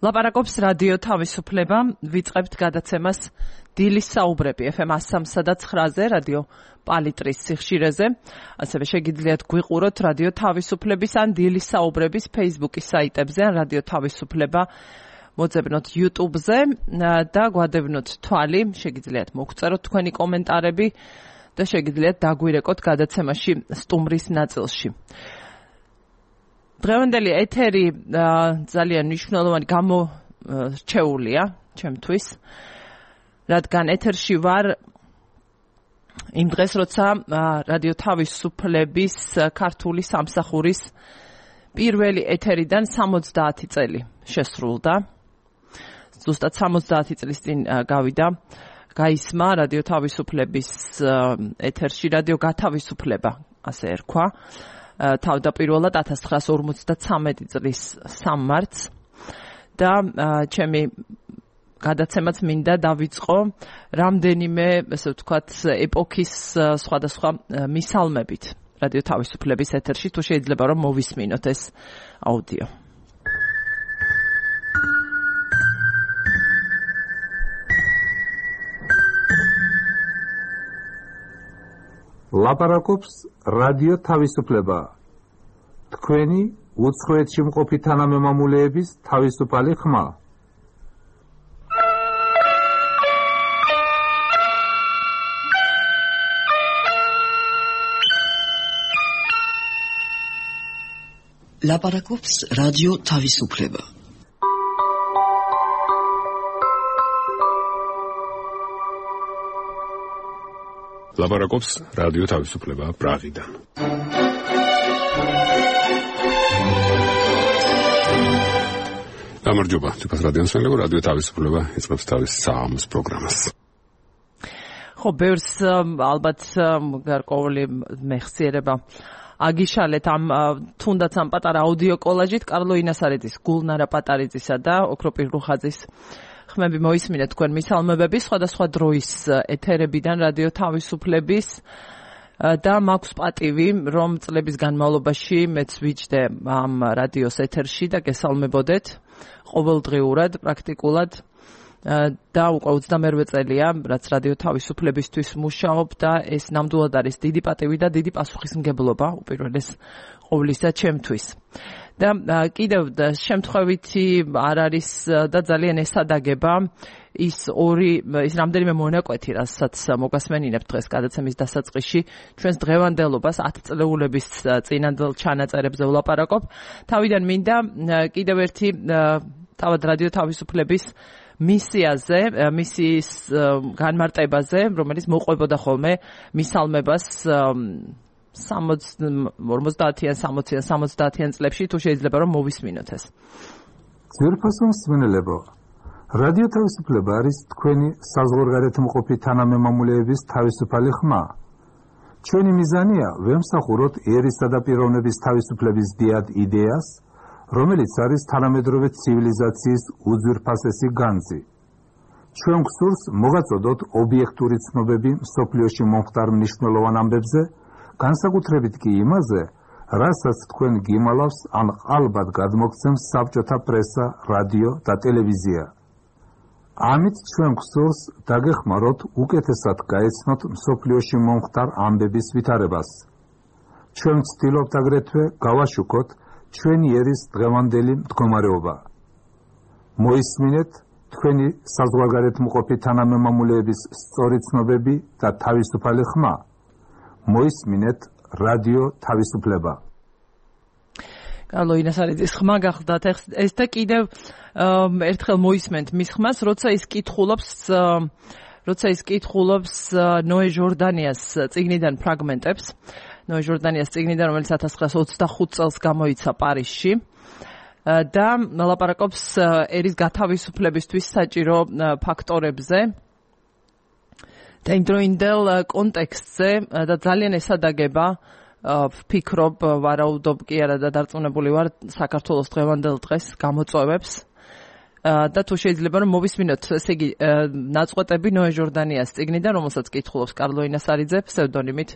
ლაპარაკობს რადიო თავისუფლება, ვიწყებთ გადაცემას დილის საუბრები FM 103.9-ზე, რადიო პალიტრის სიხშირეზე. ასევე შეგიძლიათ გვიყუროთ რადიო თავისუფლების ან დილის საუბრების Facebook-ის საიტებზე, ან რადიო თავისუფლება მოძებნოთ YouTube-ზე და გვადევნოთ თვალი, შეგიძლიათ მოგწეროთ თქვენი კომენტარები და შეგიძლიათ დაგვირეკოთ გადაცემაში სტუმრის ნაწილში. დღევანდელი ეთერი ძალიან მნიშვნელოვანი გამორჩეულია ჩემთვის, რადგან ეთერში ვარ იმ დღეს, როცა რადიო თავისუფლების ქართული სამსახურის პირველი ეთერიდან 70 წელი შესრულდა. ზუსტად 70 წლის წინ გავიდა, გაისმა რადიო თავისუფლების ეთერში რადიო გათავისუფლება, ასე ერქვა. თავდაპირველად 1953 წლის 3 მარტს და ჩემი გადაცემაც მინდა დავიწყო რამდენიმე, ესე ვთქვათ, ეპოქის სხვადასხვა მისალმებით რადიო თავისუფლების ეთერში, თუ შეიძლება რომ მოვისმინოთ ეს აუდიო. ლაპარაკობს რადიო თავისუფლება. თქვენი უცხოეთში მყოფი თანამემამულეების თავისუფალი ხმა. ლაპარაკობს რადიო თავისუფლება. ლაპარაკობს რადიო თავისუფლება პრაღიდან. გამარჯობა, თვითონ რადიოსმენლებო, რადიო თავისუფლება იწყებს თავის საამს პროგრამას. ხო, ბევრს ალბათ გარკვეული მეხსიერება აგიშალეთ ამ თუნდაც ამ პატარა აუდიო კოლაჟით კარლო ინასარიძის, გულნარა პატარიძისა და ოქროპირ რუხაძის ხმები მოისმინეთ თქვენ მისალმებები სხვადასხვა დროის ეთერებიდან რადიო თავისუფლების და მაქვს პატივი, რომ წლების განმავლობაში მეც ვიჯდე ამ რადიოს ეთერში და გესალმებოდეთ ყოველდღიურად, პრაქტიკულად და უკვე 28 წელია, რაც რადიო თავისუფლებისთვის მუშაობ და ეს ნამდვილად არის დიდი პატივი და დიდი პასუხისმგებლობა უპირველეს ყოვლისა ჩემთვის. და კიდევ შემთხვევითი არ არის და ძალიან ესადაგება ის რამდენიმე მონაკვეთი, რასაც მოგასმენინებთ დღეს გადაცემის დასაწყისში, ჩვენს დღევანდელობას 10 წლეულების წინანდელ ჩანაწერებზე ვლაპარაკობ. თავიდან მინდა კიდევ ერთი თავად რადიო თავისუფლების მისიაზე, მისიის განმარტებაზე, რომელიც მოყვებოდა ხოლმე მისალმებას 50-იან, 60-იან, 70-იან წლებში, თუ შეიძლება რომ მოვისმინოთ ეს. ძვირფასო მსმენელებო, რადიო თავისუფლება არის თქვენი საზღვარგარეთ მყოფი თანამემამულეების თავისუფალი ხმა. ჩვენი მიზანია ვემსახუროთ ერისა და პიროვნების თავისუფლების დიად იდეას, რომელიც არის თანამედროვე ცივილიზაციის უძვირფასესი განძი. ჩვენ გვსურს მოვაწოდოთ ობიექტური ცნობები მსოფლიოში მომხდარ მნიშვნელოვან ამბებზე, განსაკუთრებით კი იმაზე, რასაც თქვენ გიმალავს ან ალბათ გადმოგცემს საბჭოთა პრესა, რადიო და ტელევიზია. ამით ჩვენ გვსურს დაგეხმაროთ უკეთესად გაეცნოთ მსოფლიოში მომხდარ ამბების ვითარებას. ჩვენ ვცდილობთ აგრეთვე გავაშუქოთ ჩვენი ერის დღევანდელი მდგომარეობა. მოისმინეთ თქვენი საზღვარგარეთ მყოფი თანამემამულეების სწორი ცნობები და თავისუფალი ხმა. მოისმინეთ რადიო თავისუფლება. კარლო ინასარიძის ხმა გახლდათ ეს და კიდევ ერთხელ მოისმენთ მის ხმას, როცა ის კითხულობს ნოე ჟორდანიას წიგნიდან ფრაგმენტებს. ნოე ჟორდანიას წიგნიდან, რომელიც 1925 წელს გამოიცა პარიზში და ლაპარაკობს ერის გათავისუფლებისთვის საჭირო ფაქტორებზე და იმდროინდელ კონტექსტზე და ძალიან ესადაგება ვფიქრობ, ვარაუდობ კი არა და დარწმუნებული ვარ საქართველოს დღევანდელ დღეს გამოწვევებს და თუ შეიძლება რომ მოვისმინოთ, ესე იგი, ნაწყვეტები ნოე ჟორდანიას წიგნიდან, რომელსაც კითხულობს კარლო ინასარიძე ფსევდონიმით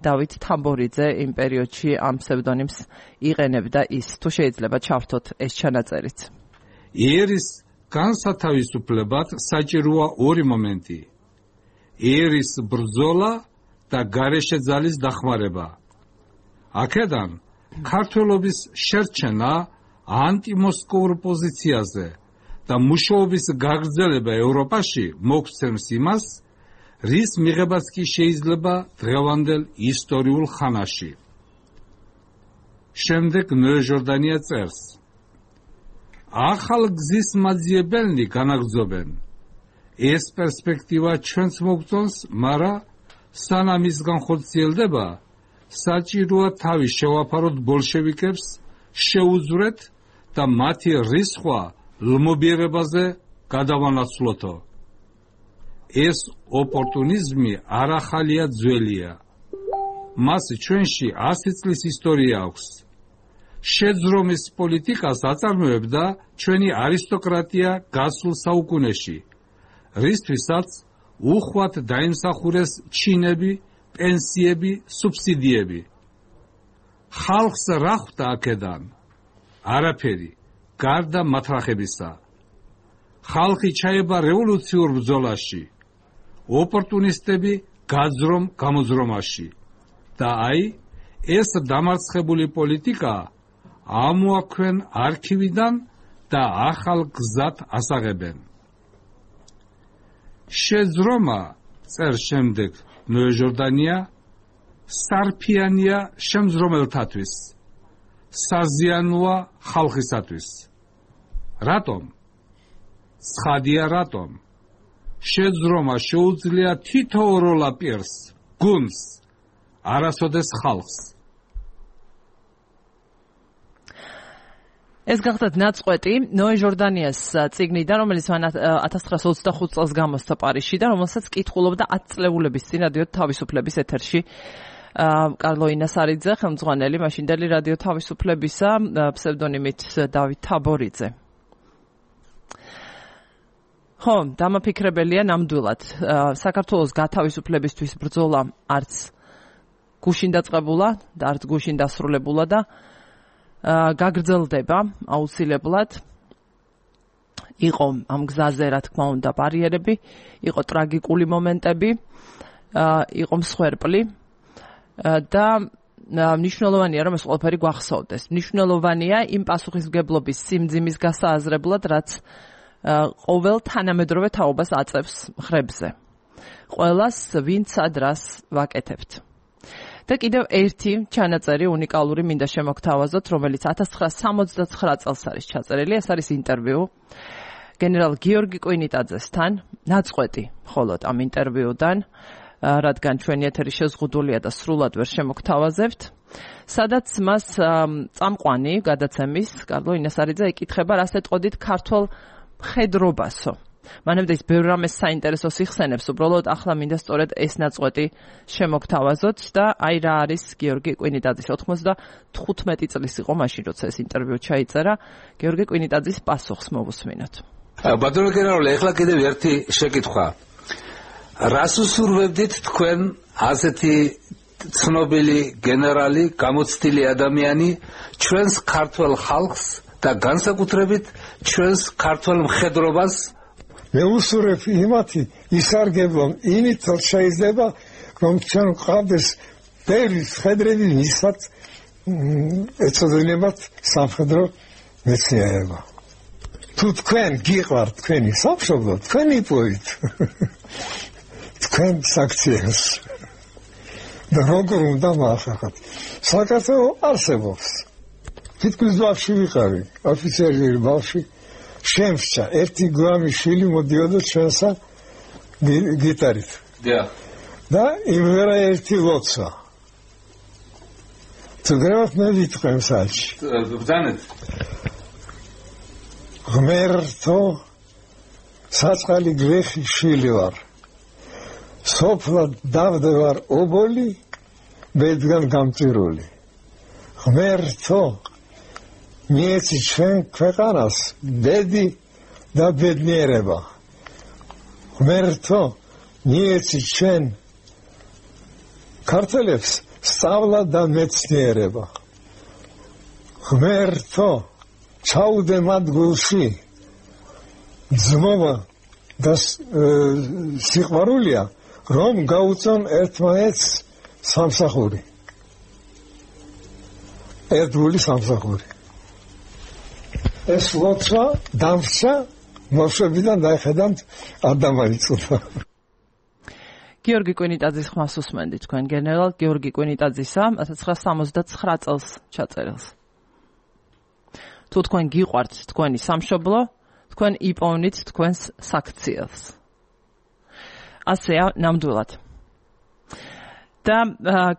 დავით თამბორიძე იმ პერიოდში ამ ფსევდონიმს იყენებდა ის. თუ შეიძლება ჩავრთოთ ეს ჩანაწერიც. ერის განსათავისუფლებად საჭიროა ორი მომენტი: ერის ბრძოლა და გარეშე ძალის დახმარება. აქედან ქართველობის შერჩენა ანტიმოსკოვურ პოზიციაზე და მუშაობის გაგრძელება ევროპაში მოგცემს იმას, რის მიღებაც კი შეიძლება დღევანდელ ისტორიულ ხანაში. შემდეგ ნოე ჟორდანია წერს: ახალ გზის მაძიებელნი განაგრძობენ. ეს პერსპექტივა ჩვენც მოგწონს, მაგრამ სანამ ის განხორციელდება, საჭიროა თავი შევაფაროთ ბოლშევიკებს, შეუძვრეთ და მათი რისხვა ლმობიერებაზე გადავანაცვლოთო. ეს ოპორტუნიზმი არ ახალია, ძველია. მას ჩვენში 100 წლის ისტორია აქვს. შეძრომის პოლიტიკას აწარმოებდა ჩვენი არისტოკრატია გასულ საუკუნეში, რისთვისაც უხვად დაიმსახურეს ჩინები, პენსიები, სუბსიდიები. ხალხს რა ხვდა აქედან? არაფერი, გარდა მათრახებისა. ხალხი ჩაება რევოლუციურ ბრძოლაში, ოპორტუნისტები გაძრომ-გამოძრომაში. და აი, ეს დამარცხებული პოლიტიკა ამოაქვენ არქივიდან და ახალ გზად ასაღებენ. შეძრომა, წერს შემდეგ ნოე ჟორდანია, სარფიანია შემძრომელთათვის, საზიანოა ხალხისათვის. რატომ? ცხადია რატომ. შეძრომა შეუძლია თითოეულ პირს, გუნდს, არასოდეს ხალხს. ეს გახდათ ნაწყვეტი ნოე ჟორდანიას წიგნიდან, რომელიც მან 1925 წელს გამოსცა პარიზში და რომელსაც კითხულობდა 10 წლეულების წინ რადიო თავისუფლების ეთერში კარლო ინასარიძე, ხელმძღვანელი მაშინდელი რადიო თავისუფლებისა, ფსევდონიმით დავით თაბორიძე. ხო, დამაფიქრებელია ნამდვილად. საქართველოს გათავისუფლებისთვის ბრძოლა არც გუშინ დაწყებულა და არც გუშინ დასრულებულა და გაგრძელდება აუცილებლად. იყო ამ გზაზე, რა თქმა უნდა, ბარიერები, იყო ტრაგიკული მომენტები, იყო მსხვერპლი და მნიშვნელოვანია, რომ ეს ყველაფერი გვახსოვდეს. მნიშვნელოვანია იმ პასუხისმგებლობის სიმძიმის გასააზრებლად, რაც ყოველ თანამედროვე თაობას აწევს მხრებზე. ყველას ვინც ადრას ვაკეთებთ. და კიდევ ერთი ჩანაწერი უნიკალური მინდა შემოგთავაზოთ, რომელიც 1969 წელს არის ჩაწერილი. ეს არის ინტერვიუ გენერალ გიორგი კვინიტაძესთან, ნაწყვეტი მხოლოდ ამ ინტერვიუდან, რადგან ჩვენი ეთერი შეზღუდულია და სრულად ვერ შემოგთავაზებთ, სადაც მას წამყვანი გადაცემის კარლო ინასარიძე ეკითხება, რას ეტყოდით ქართველ მხედრობასო. მანამდე ის ბევრ რამეს საინტერესოს იხსენებს, უბრალოდ ახლა მინდა სწორედ ეს ნაწყვეტი შემოგთავაზოთ და აი რა არის გიორგი კვინიტაძის 95 წლის იყო მაშინ, როცა ეს ინტერვიუ ჩაიწერა, გიორგი კვინიტაძის პასუხს მოვუსმინოთ. ბატონო გენერალი, ეხლა კიდევ ერთი შეკითხვა. რას უსურვებდით თქვენ ასეთი ცნობილი გენერალი, გამოცდილი ადამიანი ჩვენს ქართველ ხალხს და განსაკუთრებით ჩვენს ქართველ მხედრობას? მე უსურვებ იმათი ისარგებლონ, იმით შეიძლება რომ ჩვენ ყავდეს ბევრი მხედრები, ვისაც ეწოდებათ სამხედრო მეცნიერება. თუ თქვენ გიყვართ თქვენი სამშობლო, თქვენ იპოვით თქვენ საქციელს და როგორ უნდა მოახერხოთ. საქართველო არსებობს. თითქმის ბავშვი ვიყავი, ოფიცერი ბავშვი. შემსჭა ერთი გვამი შვილი მოდიოდა ჩვენსა გიტარით. და იმერა ერთი ლოცვა. თუ გრევათ მე ვიტყვი საჩი. ბრძანეთ. ღმერთო, საწყალი გრეხი შვილი ვარ. სოფლად დავდევარ ობოლი, ბედგან გამწირული. ღმერთო, მიეცი ჩვენ ქვეყანას ბედი და ბედნიერება. ღმერთო, მიეცი ჩვენ ქართველებს სწავლა და მეცნიერება. ღმერთო, ჩაუდე მათ გულში ძმობა და სიყვარულია რომ გაუწონ ერთმანეთს სამსახური ერთგული სამსახური ეს ლოცვა დამსა მოშებიდან დაიხედავთ არ დამაიწუდა გიორგი კვინიტაძის ხმას უსმენდით თქვენ გენერალ გიორგი კვინიტაძისა 1979 წელს ჩაწერილს თუ თქვენ გიყვართ თქვენი სამშობლო თქვენ იპოვნით თქვენს საქციელს ასეა ნამდვილად და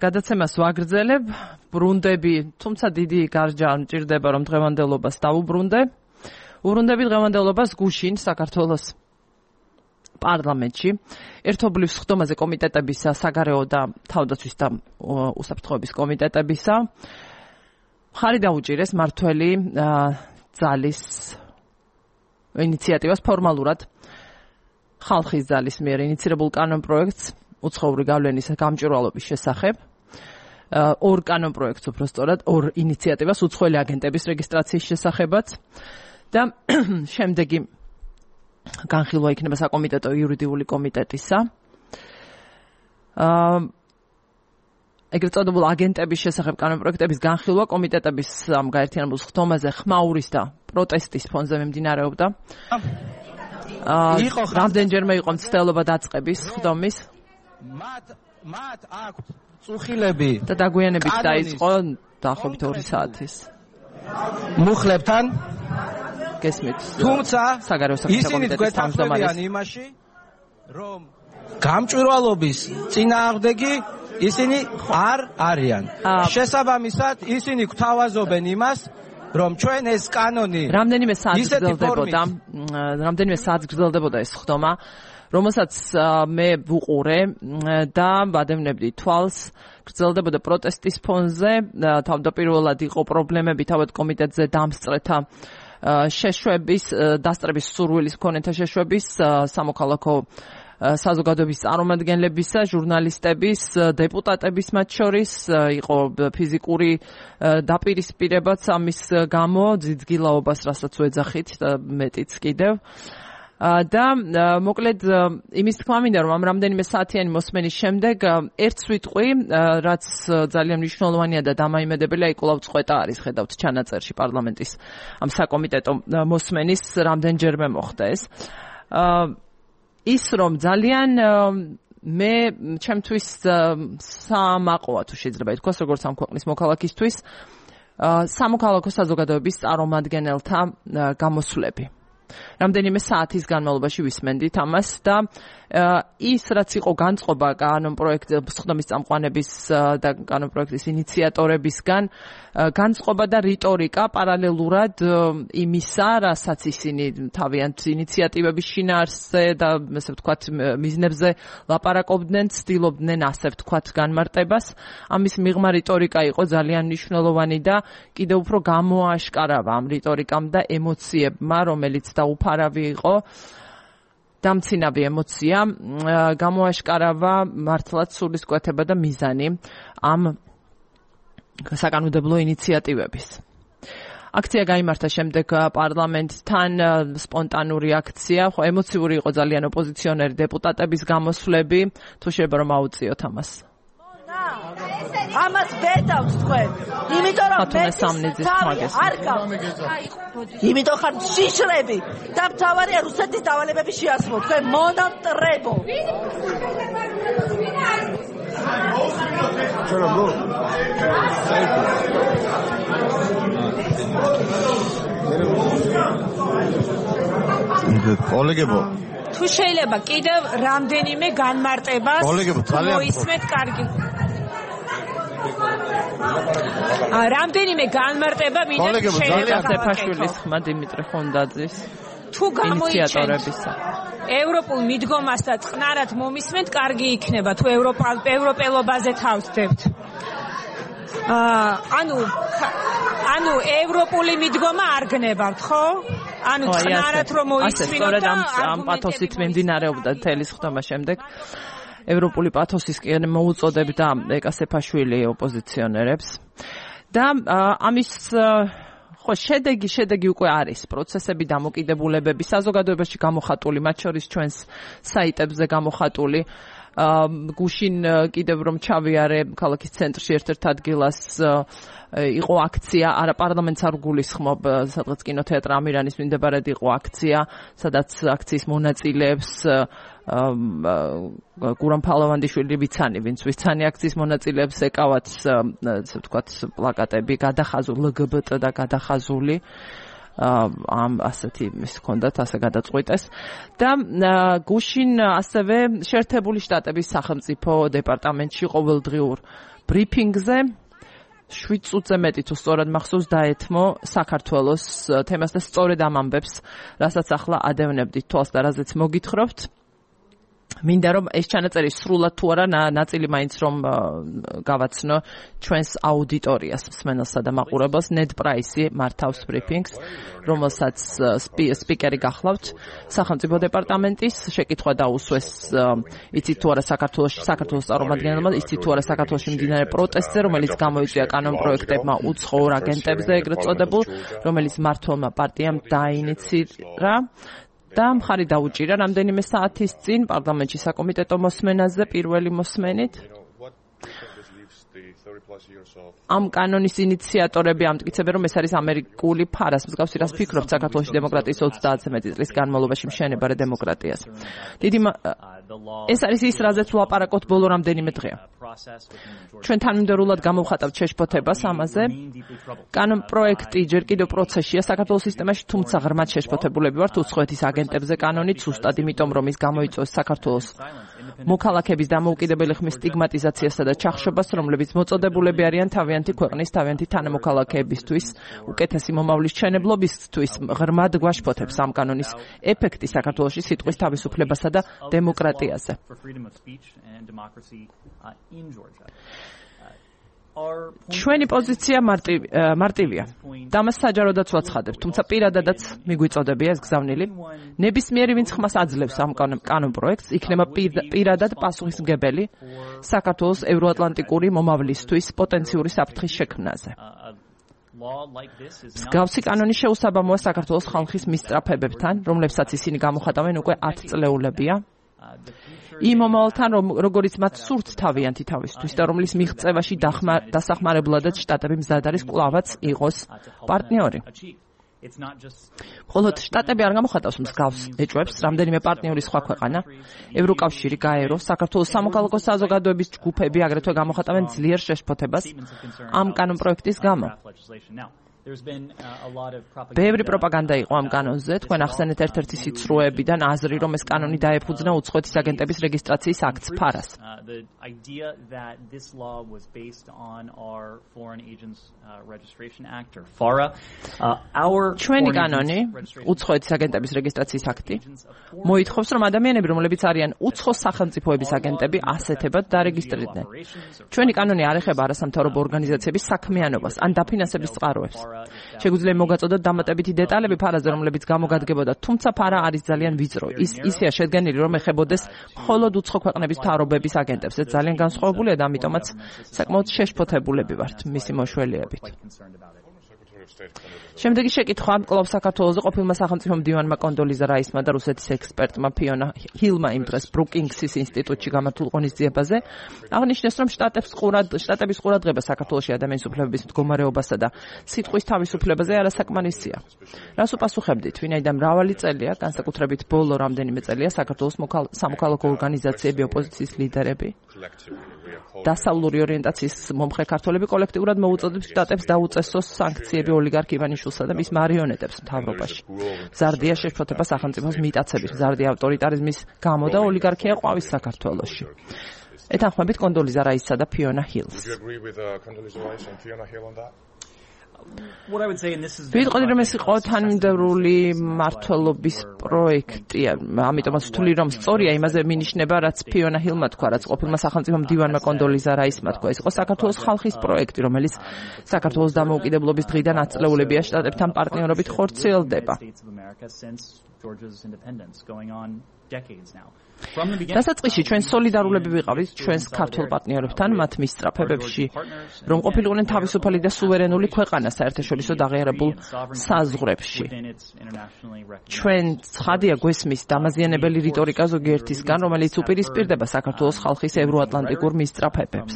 გადაცემას ვაგრძელებ ბრუნდები თუმცა დიდი გარჯა არ მჭირდება რომ დღევანდელობას დავუბრუნდე უბრუნდები დღევანდელობას გუშინ საქართველოს პარლამენტში ერთობლივ სხდომაზე კომიტეტებისა საგარეო და თავდაცვის და უსაფრთხოების კომიტეტებისა მხარი დაუჭირეს მართველი ძალის ინიციატივას ფორმალურად ხალხის ძალის მიერ ინიცირებულ კანონპროექტს უცხოური გავლენის გამჭვირვალობის შესახებ ორ კანონპროექტს უბრალოდ ორ ინიციატივას უცხოელი აგენტების რეგისტრაციის შესახებაც და შემდეგი განხილვა იქნება საკომიტეტო იურიდიული კომიტეტისა ეგრეთ წოდებულ აგენტების შესახებ კანონპროექტების განხილვა კომიტეტების გაერთიანებულ სხდომაზე ხმაურის და პროტესტის ფონზე მიმდინარეობდა რამდენჯერმე იყო მცდელობა დაწყების სხდომის მათ აქვთ წუხილები და დაგვიანებით დაიწყო დაახლოებით 2 საათის მუხლებთან გესმით თუმცა საგარეო საქმეთა კომიტეტის თავმჯდომარის იმაში რომ გამჭვირვალობის წინააღმდეგი ისინი არ არიან შესაბამისად ისინი გვთავაზობენ იმას რომ ჩვენ ეს კანონი რამდენიმე საათს გრძელდებოდა ეს სხდომა რომელსაც მე ვუყურე და ვადევნებდი თვალს გრძელდებოდა პროტესტის ფონზე თავდაპირველად იყო პრობლემები თავად კომიტეტზე დამსწრეთა შეშვების დასწრების სურვილის მქონეთა შეშვების სამოქალაქო საზოგადოების წარმომადგენლებისა, ჟურნალისტების, დეპუტატების მათ შორის იყო ფიზიკური დაპირისპირებაც ამის გამო ძიძგილაობას, რასაც ვეძახით და მეტიც კიდევ. და მოკლედ იმის თქმა მინდა რომ ამ რამდენიმე საათიანი მოსმენის შემდეგ ერთ სვიტყვი რაც ძალიან მნიშვნელოვანია და დამაიმედებელია იკვლავ წყვეტა არის ხედავთ ჩანაწერში პარლამენტის ამ საკომიტეტო მოსმენის რამდენჯერმე მოხდა ეს ის რომ ძალიან მე ჩემთვის სამაყოა თუ შეიძლება ითქვას როგორც ამ ქვეყნის მოქალაქისთვის სამოქალაქო საზოგადოების წარმომადგენელთა გამოსვლები რამდენიმე საათის განმავლობაში ვისმენდით ამას და ის რაც იყო განწყობა კანონპროექტის სხდომის წამყვანების და კანონპროექტის ინიციატორებისგან განწყობა და რიტორიკა პარალელურად იმისა, რასაც ისინი თავიანთ ინიციატივების შინაარსზე და ასე ვთქვათ მიზნებზე ლაპარაკობდნენ, ცდილობდნენ ასე ვთქვათ განმარტებას. ამის მიღმა რიტორიკა იყო ძალიან მნიშვნელოვანი და კიდევ უფრო გამოაშკარავა ამ რიტორიკამ და ემოციებმა, რომელიც დაუფარავი იყო. დამცინავი ემოცია გამოაშკარავა მართლაც სულისკვეთება და მიზანი ამ საკანონმდებლო ინიციატივების. აქცია გაიმართა შემდეგ პარლამენტთან სპონტანური აქცია, ხო ემოციური იყო ძალიან ოპოზიციონერი დეპუტატების გამოსვლები, თუ შეიძლება რომ აუწიოთ ამას. ამას ვერ დავთ თქვენ. იმიტომ რომ მე სამნიძის თმაგეს. იმიტომ ხარ შიშრები და მთავარია რუსეთის დავალებების შეასრულო. თქვენ მონამტრებო. კოლეგებო თუ შეიძლება კიდევ რამდენიმე განმარტებას მოისმეთ კარგი რამდენიმე განმარტება მინდა შეფაშვილის ხმა დიმიტრი ხონდაძის თუ ინიციატორებისა ევროპულ მიდგომას და წყნარად მომისმენთ კარგი იქნება თუ ევროპელობაზე თავს დებთ ანუ ევროპული მიდგომა არ გნებავთ ხო ანუ წყნარად რომ მოისმინოთ და ამ პათოსით მიმდინარეობდა მთელი სხდომა შემდეგ ევროპული პათოსისკენ მოუწოდებდა ეკა სეფაშვილი ოპოზიციონერებს და ამის ხო, შედეგი უკვე არის, პროცესები, დამოკიდებულებები საზოგადოებაში გამოხატული, მათ შორის ჩვენს საიტებზე გამოხატული. გუშინ კიდევ რომ ჩავიარე ქალაქის ცენტრში ერთ-ერთ ადგილას იყო აქცია, არა პარლამენტს არ გულისხმობ, სადღაც კინოთეატრ ამირანის მიმდებარედ იყო აქცია, სადაც აქციის მონაწილეებს გურამ ფალავანდიშვილი ვინც ვიცანი აქციის მონაწილეებს ეკავათ, ასე ვთქვათ, პლაკატები გადახაზული LGBT და გადახაზული ამ ასეთი ის ჰქონდათ, ასე გადაწყვიტეს და გუშინ ასევე შეერთებული შტატების სახელმწიფო დეპარტამენტში ყოველდღიურ ბრიფინგზე 7 წუთზე მეტი თუ სწორად მახსოვს დაეთმო საქართველოს თემას და სწორედ ამ ამბებს, რასაც ახლა ადევნებდით თვალს და რაზეც მოგითხრობთ. მინდა რომ ეს ჩანაწერი სრულად თუ არა ნაწილი მაინც რომ გავაცნო ჩვენს აუდიტორიას, მსმენელსა და მაყურებელს. ნედ პრაისი მართავს ბრიფინგს, რომელსაც სპიკერი გახლავთ სახელმწიფო დეპარტამენტის. შეკითხვა დაუსვეს, იცით თუ არა საქართველოს წარმომადგენლებმა, იცით თუ არა საქართველოში მიმდინარე პროტესტზე, რომელიც გამოიწვია კანონპროექტებმა უცხოურ აგენტებზე, ეგრეთ წოდებულ, რომელიც მმართველმა პარტიამ დაინიცირა. და მხარი დაუჭირა რამდენიმე საათის წინ პარლამენტში საკომიტეტო მოსმენაზე პირველი მოსმენით. ამ კანონის ინიციატორები ამტკიცებენ, რომ ეს არის ამერიკული ფარას მსგავსი, რაც ფიქრობთ საქართველოში დემოკრატიის 30-ზე მეტი წლის განმავლობაში მშენება რა დემოკრატიას. ეს არის ის, რაზეც ვლაპარაკობთ ბოლო რამდენიმე დღეა. ჩვენ თანმიმდევრულად გამოვხატავთ შეშფოთებას ამაზე. კანონპროექტი ჯერ კიდევ პროცესშია საქართველოს სისტემაში, თუმცა ღრმად შეშფოთებულები ვართ უცხოეთის აგენტებზე კანონით, ზუსტად იმიტომ, რომ ის გამოიწვევს საქართველოს მოქალაქების დამოუკიდებელი ხმის სტიგმატიზაციასა და ჩახშობას, რომლებიც მოწოდებულები არიან თავიანთი ქვეყნის, თავიანთი თანამოქალაქეებისთვის, უკეთესი მომავლის მშენებლობისთვის. ღრმად გვაშფოთებს ამ კანონის ეფექტი საქართველოში სიტყვის თავისუფლებასა და დემოკრატიაზე. ჩვენი პოზიცია მარტივია. დამას საჯაროდაც ვაცხადებთ, თუმცა პირადადაც მიგვიწოდებია ეს გზავნილი. ნებისმიერი, ვინც ხმას აძლევს ამ კანონპროექტს, იქნება პირადად პასუხისმგებელი საქართველოს ევროატლანტიკური მომავლისთვის პოტენციური საფრთხის შექმნაზე. მსგავსი კანონი შეუსაბამოა საქართველოს ხალხის მისწრაფებებთან, რომლებსაც ისინი გამოხატავენ უკვე 10 წლეულებია. იმ მომავალთან, როგორიც მათ სურთ თავიანთი თავისთვის და რომლის მიღწევაში დასახმარებულადაც შტატები მზად არის კვლავაც იყოს პარტნიორი. მხოლოდ შტატები არ გამოხატავს მსგავს ეჭვებს, რამდენიმე პარტნიორი სხვა ქვეყანა, ევროკავშირი, გაერო, საქართველოს სამოქალაქო საზოგადოების ჯგუფები აგრეთვე გამოხატავენ ძლიერ შეშფოთებას ამ კანონპროექტის გამო. ბევრი პროპაგანდა იყო ამ კანონზე, თქვენ ახსენეთ ერთ-ერთი სიცრუეებიდან აზრი, რომ ეს კანონი დაეფუძნა უცხოეთის აგენტების რეგისტრაციის აქტს ფარას. ჩვენი კანონი, უცხოეთის აგენტების რეგისტრაციის აქტი, მოითხოვს, რომ ადამიანები, რომლებიც არიან უცხო სახელმწიფოების აგენტები, ასეთებად დარეგისტრირდნენ. ჩვენი კანონი არ ეხება არასამთავრობო ორგანიზაციების საქმიანობას ან დაფინანსების წყაროებს. შეგვიძლია მოგაწოდოთ დამატებითი დეტალები ფარაზე, რომლებიც გამოგადგებოდა, თუმცა ფარა არის ძალიან ვიწრო. ისეა შედგენილი, რომ ეხებოდეს მხოლოდ უცხო ქვეყნების მთავრობების აგენტებს. ეს ძალიან განსხვავებულია და ამიტომაც საკმაოდ შეშფოთებულები ვართ მისი მოშველიებით. შემდეგი შეკითხვა კლუბ საქართველოზე ყოფილმა სახელმწიფო მდივანმა კონდოლიზა რაისმა და რუსეთის ექსპერტმა ფიონა ჰილმა იმ დღეს ბრუკინგსის ინსტიტუტში გამართულ ღონისძიებაზე აღნიშნეს, რომ შტატების ყურადღება საქართველოში ადამიანის უფლებების მდგომარეობასა და სიტყვის თავისუფლებაზე არასაკმარისია. რას უპასუხებდით? ვინაიდან მრავალი წელია, განსაკუთრებით ბოლო რამდენიმე წელია, საქართველოს სამოქალაქო ორგანიზაციები, ოპოზიციის ლიდერები, დასავლური ორიენტაციის მომხრე ქართველები კოლექტიურად მოუწოდებს შტატებს დაუწესოს სანქციები ოლიგარქ ივანიშვილსა და მის მარიონეტებს მთავრობაში. მზარდია შეშფოთება სახელმწიფოს მიტაცების, მზარდია ავტორიტარიზმის გამო და ოლიგარქია ყვავის საქართველოში. ეთანხმებით კონდოლიზა რაისსა და ფიონა ჰილს. ვიტყოდი, რომ ეს იყო თანმიმდევრული მმართველობის პროექტი, ამიტომაც ვთვლი, რომ სწორია იმაზე მინიშნება, რაც ფიონა ჰილმა თქვა, რაც ყოფილმა სახელმწიფო მდივანმა კონდოლიზა რაისმა თქვა. ეს იყო საქართველოს ხალხის პროექტი, რომელიც საქართველოს დამოუკიდებლობის დღიდან ათწლეულებია შტატებთან პარტნიორობით ხორციელდება. Georgia's independence going on decades now. დასაწყისში ჩვენ სოლიდარულები ვიყავით ჩვენს ქართულ პარტნიორებთან მათ მისწრაფებებში, რომ ყოფილიყვნენ თავისუფალი და სუვერენული ქვეყანა საერთაშორისო დაღიარებულ საზღვრებში. ჩვენ ცხადია გვესმის დამაზიანებელი რიტორიკა ზოგიერთისგან, რომელიც უპირისპირდება საქართველოს ხალხის ევროატლანტიკურ მისწრაფებებს.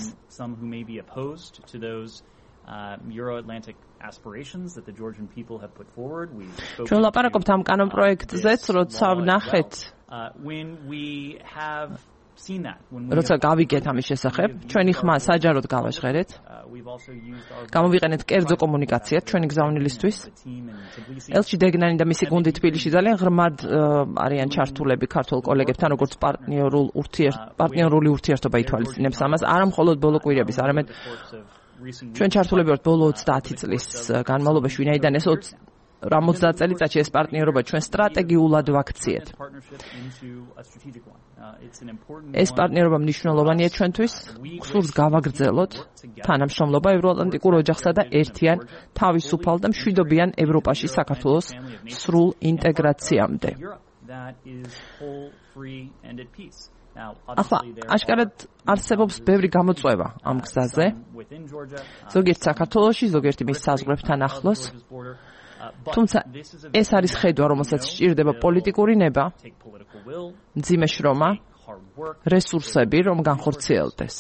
Euro-Atlantic aspirations that the Georgian people have put forward. ჩვენ ლაპარაკობთ ამ კანონპროექტზეც, როცა ვნახეთ when we have seen that, როცა გავიგეთ ამის შესახებ, ჩვენი ხმა საჯაროდ გავაჟღერეთ. გამოვიყენეთ კერძო კომუნიკაციად ჩვენი გზავნილისთვის. ელჩი დეგნანი და მისი გუნდი თბილისში ძალიან ღრმად არიან ჩართულები ქართულ კოლეგებთან, როგორც პარტნიორული ურთიერთობა ითვალისწინებს ამას, არა მხოლოდ ბოლო კვირების, არამედ ჩვენ ჩართულები ვართ ბოლო 30 წლის განმავლობაში, ვინაიდან ეს 50 წელიწადში ეს პარტნიორობა ჩვენ სტრატეგიულად ვაქციეთ. ეს პარტნიორობა მნიშვნელოვანია ჩვენთვის, გსურს გავაგრძელოთ თანამშრომლობა ევროატლანტიკურ ოჯახსა და ერთიან, თავისუფალ და მშვიდობიან ევროპაში საქართველოს სრულ ინტეგრაციამდე. ახლა აშკარად არსებობს ბევრი გამოწვევა ამ გზაზე. ზოგიერთ საქართველოში, ზოგიერთი მის საზღვრებთან ახლოს. თუმცა ეს არის ხედვა, რომელსაც სჭირდება პოლიტიკური ნება, მძიმე შრომა, რესურსები, რომ განხორციელდეს.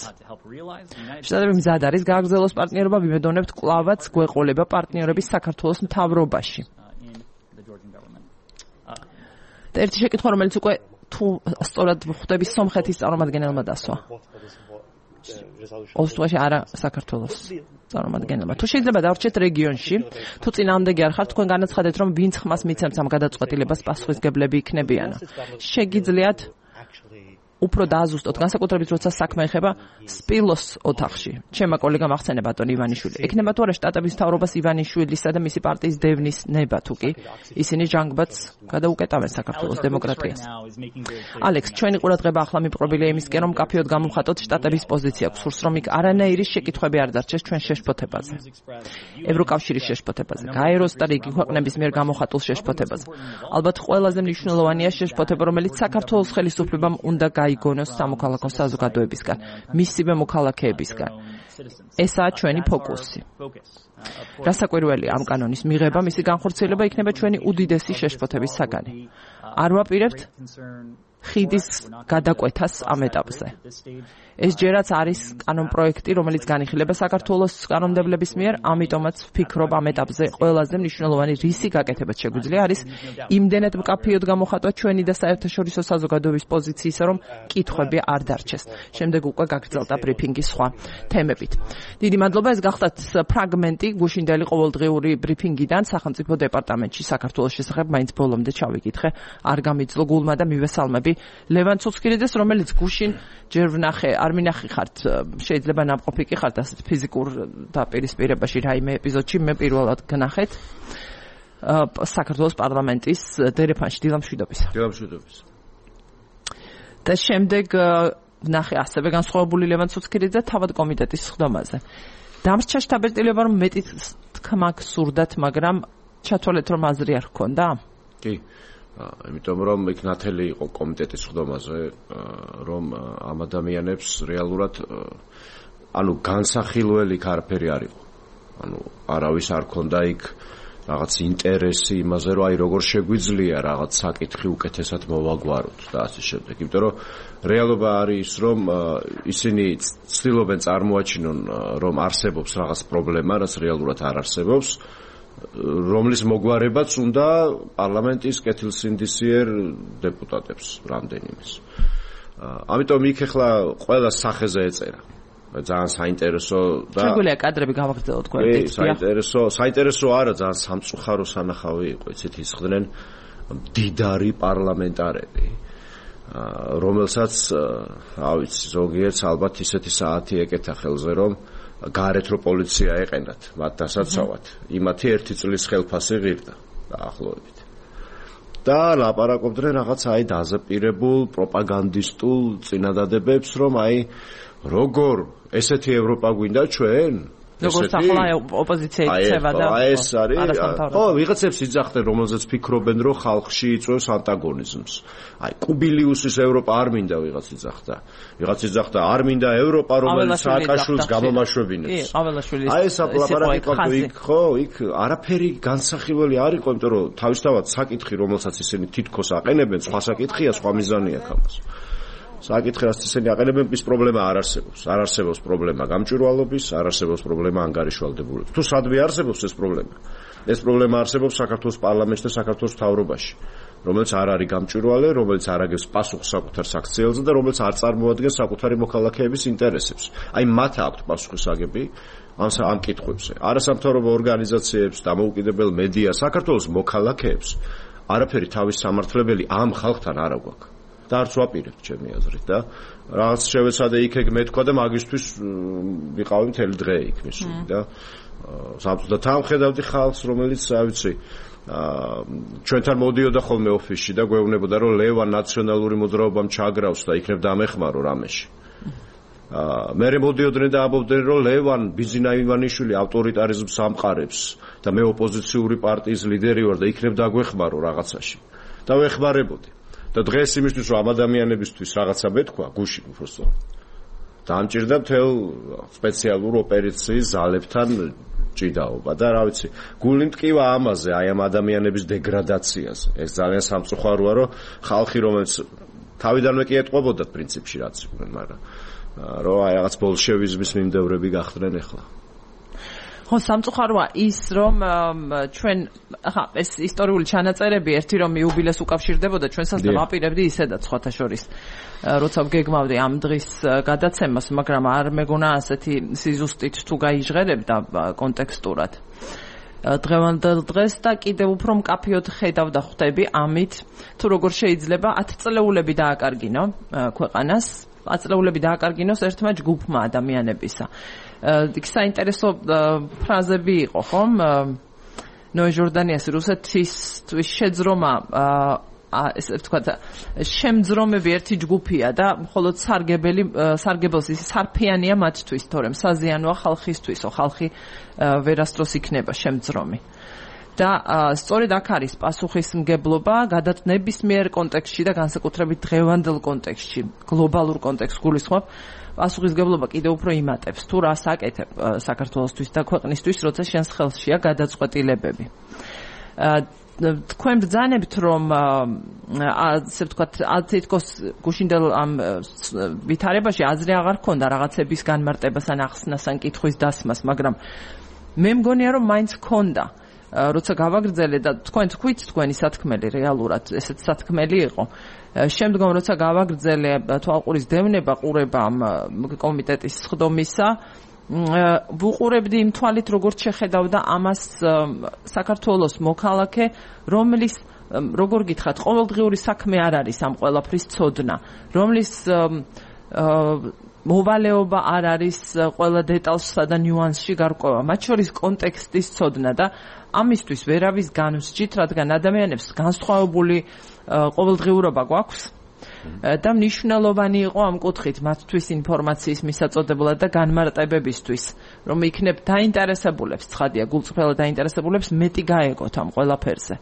შტატები მზად არის გააგრძელოს პარტნიორობა, ვიმედოვნებთ კვლავაც გვეყოლება პარტნიორების საქართველოს მთავრობაში. და ერთი შეკითხვა, რომელიც უკვე თუ სწორად ხვდები სომხეთის წარმომადგენელმა დასვა. ოსტოში არა საქართველოს წარმომადგენელმა. თუ შეიძლება დავრჩეთ რეგიონში, თუ წინააღმდეგი არ ხართ, თქვენ განაცხადეთ, რომ ვინც ხმას მიცემს ამ გადაწყვეტილებას პასუხისმგებლები იქნებიან. შეგიძლიათ უფრო დააზუსტოთ, განსაკუთრებით როცა საქმე ეხება სპილოს ოთახში. ჩემმა კოლეგამ ახსენა ბატონ ივანიშვილი. ექნება თუ არა შტატების მთავრობას ივანიშვილისა და მისი პარტიის დევნის ნება თუ კი ისინი ჟანგბადს გადაუკეტავენ საქართველოს დემოკრატიას. ალექს, ჩვენი ყურადღება ახლა მიპყრობილია იმისკენ, რომ კაფეოდ გამოვხატოთ შტატების პოზიცია. გსურს, რომ იქ არანაირი შეკითხვები არ დარჩეს ჩვენ შეშფოთებაზე. ევროკავშირის შეშფოთებაზე, გაეროს და რიგი ქვეყნების მიერ გამოხატულ შეშფოთებაზე. ალბათ ყველაზე მნიშვნელოვანია შეშფოთება, რომელიც საქართველოს ხელისუფლებამ უნდა გაიგონოს სამოქალაქო საზოგადოებისგან, მისივე მოქალაქეებისგან. ესაა ჩვენი ფოკუსი. რასაკვირველია ამ კანონის მიღება, მისი განხორციელება იქნება ჩვენი უდიდესი შეშფოთების საგანი. არ ვაპირებთ ხიდის გადაკვეთას ამ ეტაპზე. ეს ჯერაც არის კანონპროექტი, რომელიც განიხილება საქართველოს კანონმდებლების მიერ, ამიტომაც ვფიქრობ ამ ეტაპზე ყველაზე მნიშვნელოვანი რისი გაკეთებაც შეგვიძლია არის იმდენად მკაფიოდ გამოხატვა ჩვენი და საერთაშორისო საზოგადოების პოზიციისა, რომ კითხვები არ დარჩეს. შემდეგ უკვე გაგრძელდა ბრიფინგი სხვა თემებით. დიდი მადლობა, ეს გახდათ ფრაგმენტი გუშინდელი ყოველდღიური ბრიფინგიდან სახელმწიფო დეპარტამენტში საქართველოს შესახებ, მაინც ბოლომდე ჩავიკითხე, არ გამიძლო გულმა და მივესალმები ლევან ცუცქირიძეს, რომელიც გუშინ ჯერ ვნახე, არ მინახი ხართ, შეიძლება ნამყოფი კი ხართ ასეთ ფიზიკურ დაპირისპირებაში რაიმე ეპიზოდში, მე პირველად გნახეთ საქართველოს პარლამენტის დერეფანში. დილამშვიდობისა. დილამშვიდობისა. და შემდეგ ვნახე ასევე განსხვავებული ლევან ცუცქირიძე თავად კომიტეტის სხდომაზე. დამრჩა შთაბეჭდილება, რომ მეტი თქმა გსურდათ, მაგრამ ჩათვალეთ, რომ აზრი არ ჰქონდა? კი. იმიტომ რომ იქ ნათელი იყო კომიტეტის სხდომაზე, რომ ამ ადამიანებს რეალურად ანუ განსახილველი არაფერი არ იყო. ანუ არავის არ ქონდა იქ რაღაც ინტერესი იმაზე, რომ აი როგორ შეგვიძლია რაღაც საკითხი უკეთესად მოვაგვაროთ და ასე შემდეგ. იმიტომ რომ რეალობა არის, რომ ისინი ცდილობენ წარმოაჩინონ, რომ არსებობს რაღაც პრობლემა, რაც რეალურად არ არსებობს. რომლის მოგვარებაც უნდა პარლამენტის კეთილსინდისიერ დეპუტატებს რამდენიმეს. ამიტომ იქ ახლა ყველა სახეზე ეწერა. ძალიან საინტერესო და შეგვიძლია კადრები გავაგრძელოთ გვერდით. საინტერესო არა, ძალიან სამწუხარო სანახავი იყო, იცით, ისხდნენ მდიდარი პარლამენტარები, რომელსაც ავიცი, ზოგიერთს ალბათ ისეთი საათი ეკეთა ხელზე, რომ გარეთ რო პოლიცია ეყენათ მათ დასაცავად. იმათი 1 წლის ხელფასი ღირდა დაახლოებით. და ლაპარაკობდნენ რაღაც აი დაზაპირებულ პროპაგანდისტულ წინადადებებს, რომ აი როგორ ესეთი ევროპა გვინდა ჩვენ? როგორც ახლა ოპოზიცია იქცევა და ეს არის ხო ვიღაცებს იძახდნენ რომელზეც ფიქრობენ რომ ხალხში იწვევს ანტაგონიზმს აი კუბილიუსის ევროპა არ მინდა ვიღაც იძახდა არ მინდა ევროპა რომელიც სააკაშვილს გამომაშვებინებს აი ეს ლაპარაკი იქ ხო იქ არაფერი განსახილველი არ იყო იმიტომ რომ თავისთავად საკითხი რომელსაც ისინი თითქოს აყენებენ სხვა საკითხია სხვა მიზანი აქვს ამას საკითხი რაც ისინი აყენებენ ის პრობლემა არ არსებობს პრობლემა გამჭვირვალობის არ არსებობს პრობლემა ანგარიშვალდებულების თუ სადმე არსებობს ეს პრობლემა არსებობს საქართველოს პარლამენტში და საქართველოს მთავრობაში რომელიც არ არის გამჭვირვალე რომელიც არ აგებს პასუხს საკუთარ საქციელზე და რომელიც არ წარმოადგენს საკუთარი მოქალაქეების ინტერესებს აი მათ აქვთ პასუხისაგები ამ კითხვებზე არასამთავრობო ორგანიზაციებს დამოუკიდებელ მედია საქართველოს მოქალაქეებს არაფერი თავის სამართლებელი ამ ხალხთან არ აქვს და არც ვაპირებ ჩემი აზრით და რაღაც შევეცადე იქ მეთქვა და მაგისთვის ვიყავი მთელი დღე იქ მისული და და თან ხედავდი ხალხს რომელიც რა ვიცი ჩვენთან მოდიოდა ხოლმე ოფისში და გვეუბნებოდა რომ ლევან ნაციონალური მოძრაობამ ჩაგრავს და იქნებ დამეხმარო რამეში მე მოდიოდნენ და ამბობდნენ რომ ლევან ბიზინა ივანიშვილი ავტორიტარიზმს ამყარებს და მე ოპოზიციური პარტიის ლიდერი ვარ და იქნებ დაგვეხმარო რაღაცაში და ვეხმარებოდი და დღეს იმისთვის რომ ამ ადამიანებისთვის რაღაცა მეთქვა გუში უბრალოდ დამჭირდა მთელ სპეციალურ ოპერაციის ზალებთან ჭიდაობა და რა ვიცი გული მტკივა ამაზე აი ამ ადამიანების დეგრადაციაზე ეს ძალიან სამწუხაროა რომ ხალხი რომელიც თავიდანვე კი ეტყობოდა პრინციპში რაც იყვნენ მაგრამ რომ აი რაღაც ბოლშევიზმის მიმდევრები გახდნენ ახლა ხო სამწუხაროა ის რომ ჩვენ ახლა ეს ისტორიული ჩანაწერები ერთი რომ იუბილეს უკავშირდებოდა ჩვენსაც და ვაპირებდი ისედაც სხვათა შორის როცა ვგეგმავდი ამ დღის გადაცემას მაგრამ არ მეგონა ასეთი სიზუსტით თუ გაიჟღერებდა კონტექსტურად დღევანდელ დღეს და კიდევ უფრო მკაფიოდ ხედავ და ხვდები ამით თუ როგორ შეიძლება 10 წლეულები დააკარგინო ქვეყანას 10 წლეულები დააკარგინოს ერთმა ჯგუფმა ადამიანებისა იქ საინტერესო ფრაზები იყო ხომ ნოე ჟორდანიას რუსეთისთვის შეძრომა ესე ვთქვათ შემძრომები ერთი ჯგუფია და მხოლოდ სარგებელს ის სარფიანია მათთვის თორემ საზიანოა ხალხისთვისო ხალხი ვერასდროს იქნება შემძრომი და სწორედ აქ არის პასუხისმგებლობა გადატნებისმიერ კონტექსტში და განსაკუთრებით დღევანდელ კონტექსტში გლობალურ კონტექსტს გულისხმობ პასუხისმგებლობა კიდევ უფრო იმატებს თუ რას აკეთებ საქართველოსთვის და ქვეყნისთვის როცა შენს ხელშია გადაწყვეტილებები თქვენ ბრძანებთ რომ ასე ვთქვათ თითქოს გუშინდელ ამ ვითარებაში აზრი აღარ ქონდა რაღაცების განმარტებას ან ახსნას ან კითხვის დასმას მაგრამ მე მგონია რომ მაინც ქონდა როცა გავაგრძელე და თქვენ თქვით თქვენი სათქმელი რეალურად ესეც სათქმელი იყო შემდგომ როცა გავაგრძელე თვალყურის დევნება ყურება ამ კომიტეტის სხდომისა ვუყურებდი იმ თვალით როგორც შეხედავდა ამას საქართველოს მოქალაქე რომლის როგორ გითხრათ ყოველდღიური საქმე არ არის ამ ყველაფრის ცოდნა რომლის მოვალეობა არ არის ყველა დეტალსა და ნიუანსში გარკვევა მათ შორის კონტექსტის ცოდნა და ამისთვის ვერავის განვსჯით რადგან ადამიანებს განსხვავებული ყოველდღიურობა გვაქვს და მნიშვნელოვანი იყო ამ კუთხით მათთვის ინფორმაციის მისაწოდებლად და განმარტებებისთვის რომ იქნებ დაინტერესებულებს ცხადია გულწრფელად დაინტერესებულებს მეტი გაეგოთ ამ ყველაფერზე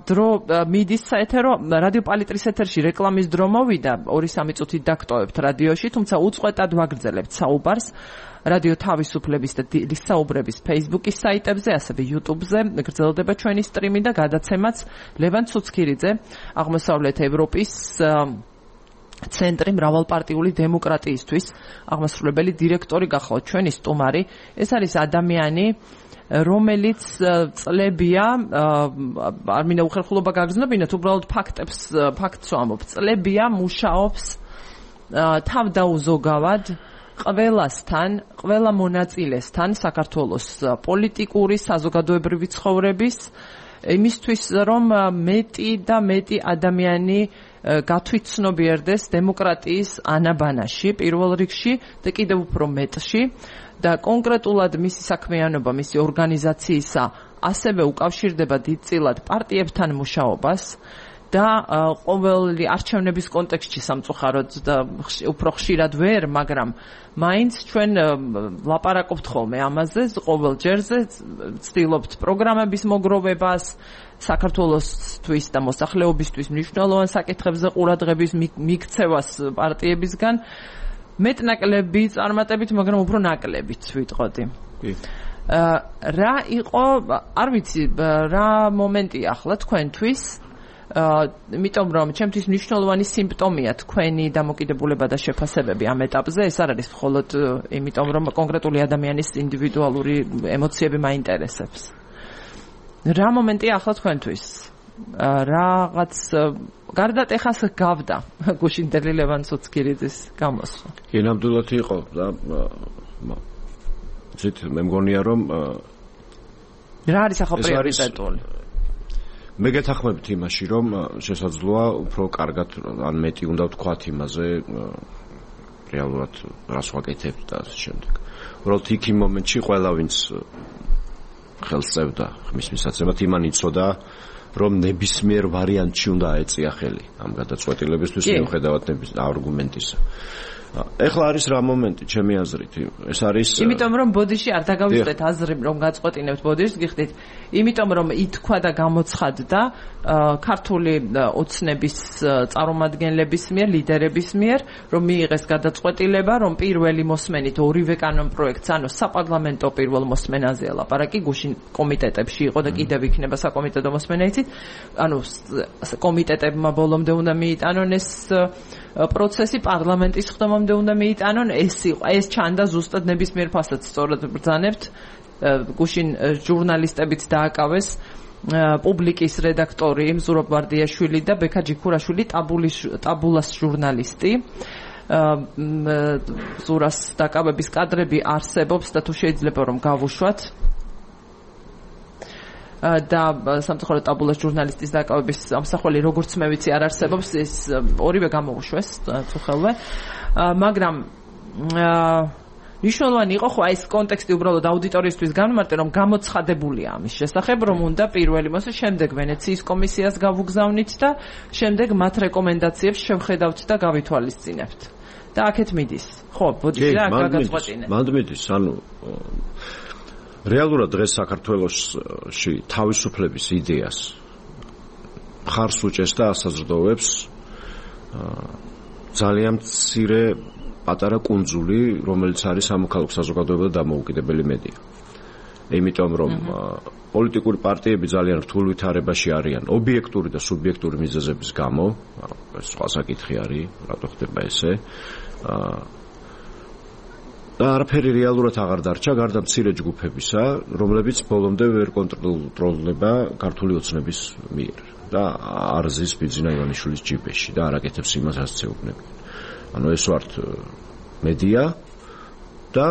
დრო მიდის საეთერო რადიო პალიტრის ეთერში რეკლამის დრო მოვიდა 2-3 წუთით დაგტოვებთ რადიოში თუმცა უწყვეტად ვაგრძელებთ საუბარს რადიო თავისუფლების და დილის საუბრების Facebook-ის საიტებზე, ასევე YouTube-ზე გრძელდება ჩვენი სტრიმი და გადაცემაც ლევან ცუცქირიძე აღმოსავლეთ ევროპის ცენტრი მრავალპარტიული დემოკრატიისთვის აღმასრულებელი დირექტორი გახლავთ ჩვენი სტუმარი. ეს არის ადამიანი რომელიც წლებია არ მინდა უხერხულობა გაგრძნობინოთ, უბრალოდ ფაქტს ვამბობ. წლებია მუშაობს თავდაუზოგავად ყველასთან, ყველა მონაწილესთან საქართველოს პოლიტიკური, საზოგადოებრივი ცხოვრების იმისთვის, რომ მეტი და მეტი ადამიანი გათვითცნობიერდეს დემოკრატიის ანაბანაში, პირველ რიგში და კიდევ უფრო მეტში და კონკრეტულად მისი საქმიანობა, მისი ორგანიზაციისა ასევე უკავშირდება დიდწილად პარტიებთან მუშაობას და ყოველი არჩევნების კონტექსტში სამწუხაროდ და უფრო ხშირად ვერ, მაგრამ მაინც ჩვენ ლაპარაკობთ ხოლმე ამაზე, ყოველ ჯერზე ცდილობთ პროგრამების მოგროვებას, საქართველოსთვის და მოსახლეობისთვის მნიშვნელოვან საკითხებზე ყურადღების მიქცევას პარტიებისგან, მეტნაკლები წარმატებით, მაგრამ უფრო ნაკლებით ვიტყოდი. რა იყო, არ ვიცი, რა მომენტია ახლა თქვენთვის, იმიტომ რომ ჩემთვის მნიშვნელოვანი სიმპტომია თქვენი დამოკიდებულება და შეფასებები ამ ეტაპზე, ეს არ არის მხოლოდ იმიტომ რომ კონკრეტული ადამიანის ინდივიდუალური ემოციები მაინტერესებს. რა მომენტია ახლა თქვენთვის? რაღაც გარდატეხას გავდა გუშინდელი ლევან ცუცქირიძის გამოსვლა. კი, ნამდვილად იყო და ზით მე მგონია რომ რა არის ახლა პრიორიტეტული? მე გეთანხმებით იმაში, რომ შესაძლოა უფრო კარგად ან მეტი უნდა ვთქვათ იმაზე რეალურად რას ვაკეთებთ და ამ შემდეგ. უბრალოდ იქ იმ მომენტში ყველა ვინც ხელს წევდა ხმის მისაცემად იმან იცოდა რომ ნებისმიერ ვარიანტში უნდა აეწია ხელი ამ გადაწყვეტილებისთვის მიუხედავად არგუმენტისა. ეხლა არის რა მომენტი ჩემი აზრით, ეს არის იმიტომ რომ ბოდიში არ დაგავიწყდეთ აზრი რომ გაწყვეტინებთ ბოდიშს, გიხდით, იმიტომ რომ ითქვა და გამოცხადდა ქართული ოცნების წარმომადგენლების მიერ, ლიდერების მიერ, რომ მიიღეს გადაწყვეტილება, რომ პირველი მოსმენით ორივე კანონ პროექტს, ანუ საპარლამენტო პირველ მოსმენაზე ლაპარაკი გუშინ კომიტეტებში იყო და კიდევ იქნება საკომიტეტო მოსმენა, იცით? ანუ კომიტეტებმა ბოლომდე უნდა მიიტანონ ეს პროცესი, პარლამენტის ხდომამდე უნდა მიიტანონ, ეს ჩანდა ზუსტად ნებისმიერ ფასად სწორად ბრძანებთ. გუშინ ჟურნალისტებიც დააკავეს პუბლიკის რედაქტორი მზურაბ ვარდიაშვილი და ბექა ჯიქურაშვილი ტაბულას ჟურნალისტი. ზურას დაკავების კადრები არსებობს და თუ შეიძლება რომ გავუშვათ და სამწუხაროდ ტაბულას ჟურნალისტის დაკავების ამსახველი როგორც მე ვიცი არ არსებობს, ეს ორივე გამოუშვეს წუხელვე, მაგრამ მნიშვნელოვანი იყო ხო ეს კონტექსტი უბრალოდ აუდიტორიისთვის გამმარტე, რომ გამოცხადებულია ამის შესახებ, რომ უნდა პირველი მოსე შემდეგ ვენეციის კომისიას გავუგზავნით და შემდეგ მათ რეკომენდაციებს შევხედავთ და გავითვალისწინებთ. და აქეთ მიდის. ხო, ბოდიში რა გაგაწყვეტინე. მანდ მიდის, ანუ რეალურად დღეს საქართველოში თავისუფლების იდეას მხარს უჭერს და ასაზრდოვებს ძალიან მცირე პატარა კუნძული, რომელიც არის სამოქალაქო საზოგადოება და დამოუკიდებელი მედია. იმიტომ რომ პოლიტიკური პარტიები ძალიან რთულ ვითარებაში არიან ობიექტური და სუბიექტური მიზეზების გამო, ეს სხვა საკითხი არის, რატო ხდება ესე. და არაფერი რეალურად აღარ დარჩა გარდა მცირე ჯგუფებისა, რომლებიც ბოლომდე ვერ კონტროლდება ქართული ოცნების მიერ და არ ზის ბიძინა ივანიშვილის ჯიბეში და არ აკეთებს იმას, რაც ეუბნებიან. ანუ ეს ვართ მედია და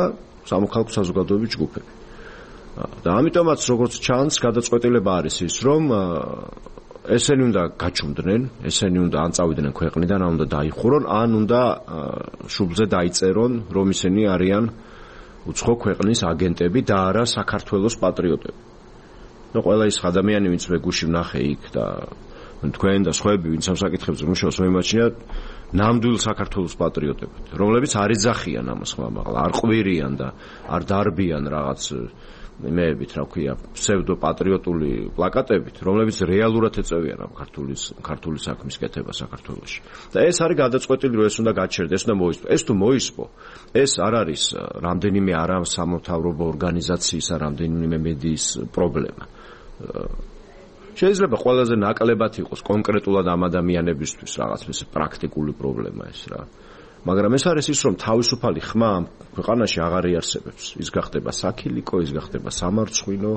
სამოქალაქო საზოგადოების ჯგუფები. და ამიტომაც როგორც ჩანს, გადაწყვეტილება არის ის, რომ ესენი უნდა გაჩუმდნენ, ესენი უნდა ან წავიდნენ ქვეყნიდან, ან უნდა დაიხურონ, ან უნდა შუბლზე დაიწერონ, რომ ისინი არიან უცხო ქვეყნის აგენტები და არა საქართველოს პატრიოტები. ნუ ყველა ის ადამიანი, ვინც მე გუში ვნახე იქ და თქვენ და სხვაები, ვინც ამ საკითხებზე მუშაობს, მოიმაჩნიათ ნამდვილ საქართველოს პატრიოტებად, რომლებიც არ იძახიან ამას ხმამაღლა, არ ყვირიან და არ დარბიან რაღაც იმეებით, რა ქვია, ფსევდოპატრიოტული პლაკატებით, რომლებიც რეალურად ეწევიან ამ ქართული საქმის კეთება საქართველოში. და ეს არის გადაწყვეტილი, რომ ეს უნდა გაჩერდეს, ეს უნდა მოისპო. ეს თუ მოისპო, ეს არ არის რამდენიმე არასამთავრობო ორგანიზაციის, რამდენიმე მედიის პრობლემა. შეიძლება ყველაზე ნაკლებად იყოს კონკრეტულად ამ ადამიანებისთვის რაღაც ეს პრაქტიკული პრობლემა ეს რა. მაგრამ ეს არის ის, რომ თავისუფალი ხმა ქვეყანაში აღარ იარსებებს. ის გახდება საქილიკო, ის გახდება სამარცხვინო,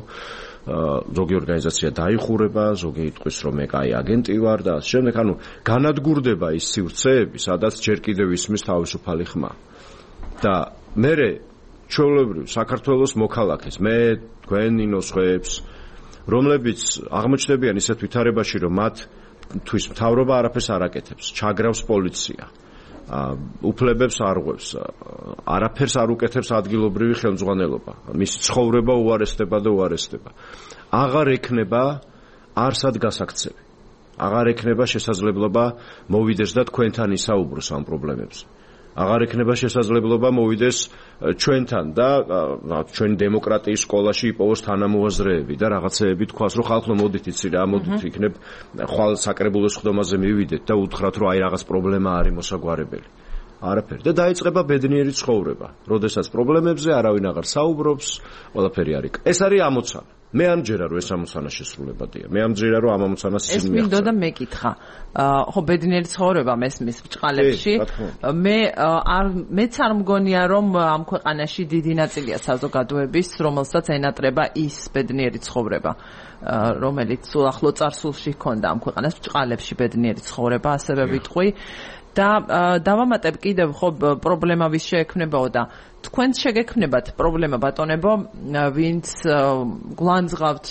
ზოგი ორგანიზაცია დაიხურება, ზოგი იტყვის, რომ მე კაი აგენტი ვარ და ამ შემდეგ, ანუ განადგურდება ის სივრცეები, სადაც ჯერ კიდევ ისმის თავისუფალი ხმა. და მე ჩვეულებრივ საქართველოს მოქალაქეს, მე თქვენი ნოსხებს, რომლებიც აღმოჩნდებიან ისეთ ვითარებაში, რომ მათთვის მთავრობა არაფერს არ აკეთებს, ჩაგრავს პოლიცია. უფლებებს არღვევს, არაფერს არ უკეთებს ადგილობრივი ხელმძღვანელობა. მისი ცხოვრება უარესდება და უარესდება. აღარ ექნება არსად გასაქცევი. აღარ ექნება შესაძლებლობა მოვიდეს და თქვენთან ისაუბროს ამ პრობლემებზე. აღარ ექნება შესაძლებლობა მოვიდეს ჩვენთან და ჩვენი დემოკრატიის სკოლაში იპოვოს თანამოაზრეები და რაღაცეები თქვას, რომ ხალხო მოდით იცი რა, მოდით იქნებ ხვალ საკრებულოს ხდომაზე მივიდეთ და უთხრათ, რომ აი რაღაც პრობლემა არის მოსაგვარებელი. არაფერი და დაიწყება ბედნიერი ცხოვრება. როდესაც პრობლემებზე არავინ აღარ საუბრობს, ყველაფერი არის. ეს არის ამოცანა. მე ამჯერა რომ ეს ამოცანა შესრულებადია. მე ამჯერა რომ ამ ამოცანას ისინი მიაღწევენ. ეს მინდოდა და მეკითხა. ხო ბედნიერი ცხოვრება მესმის ბჭყალებში. მეც არ მგონია რომ ამ ქვეყანაში დიდი ნაწილია საზოგადოების, რომელსაც ენატრება ის ბედნიერი ცხოვრება, რომელიც ახლო წარსულში ჰქონდა ამ ქვეყანას ბჭყალებში ბედნიერი ცხოვრება, ასევე ვიტყვი. და დავამატებ კიდევ ხო პრობლემა ვის შეექმნებაო და თქვენ შეგექმნებათ პრობლემა ბატონებო ვინც გვანძღავთ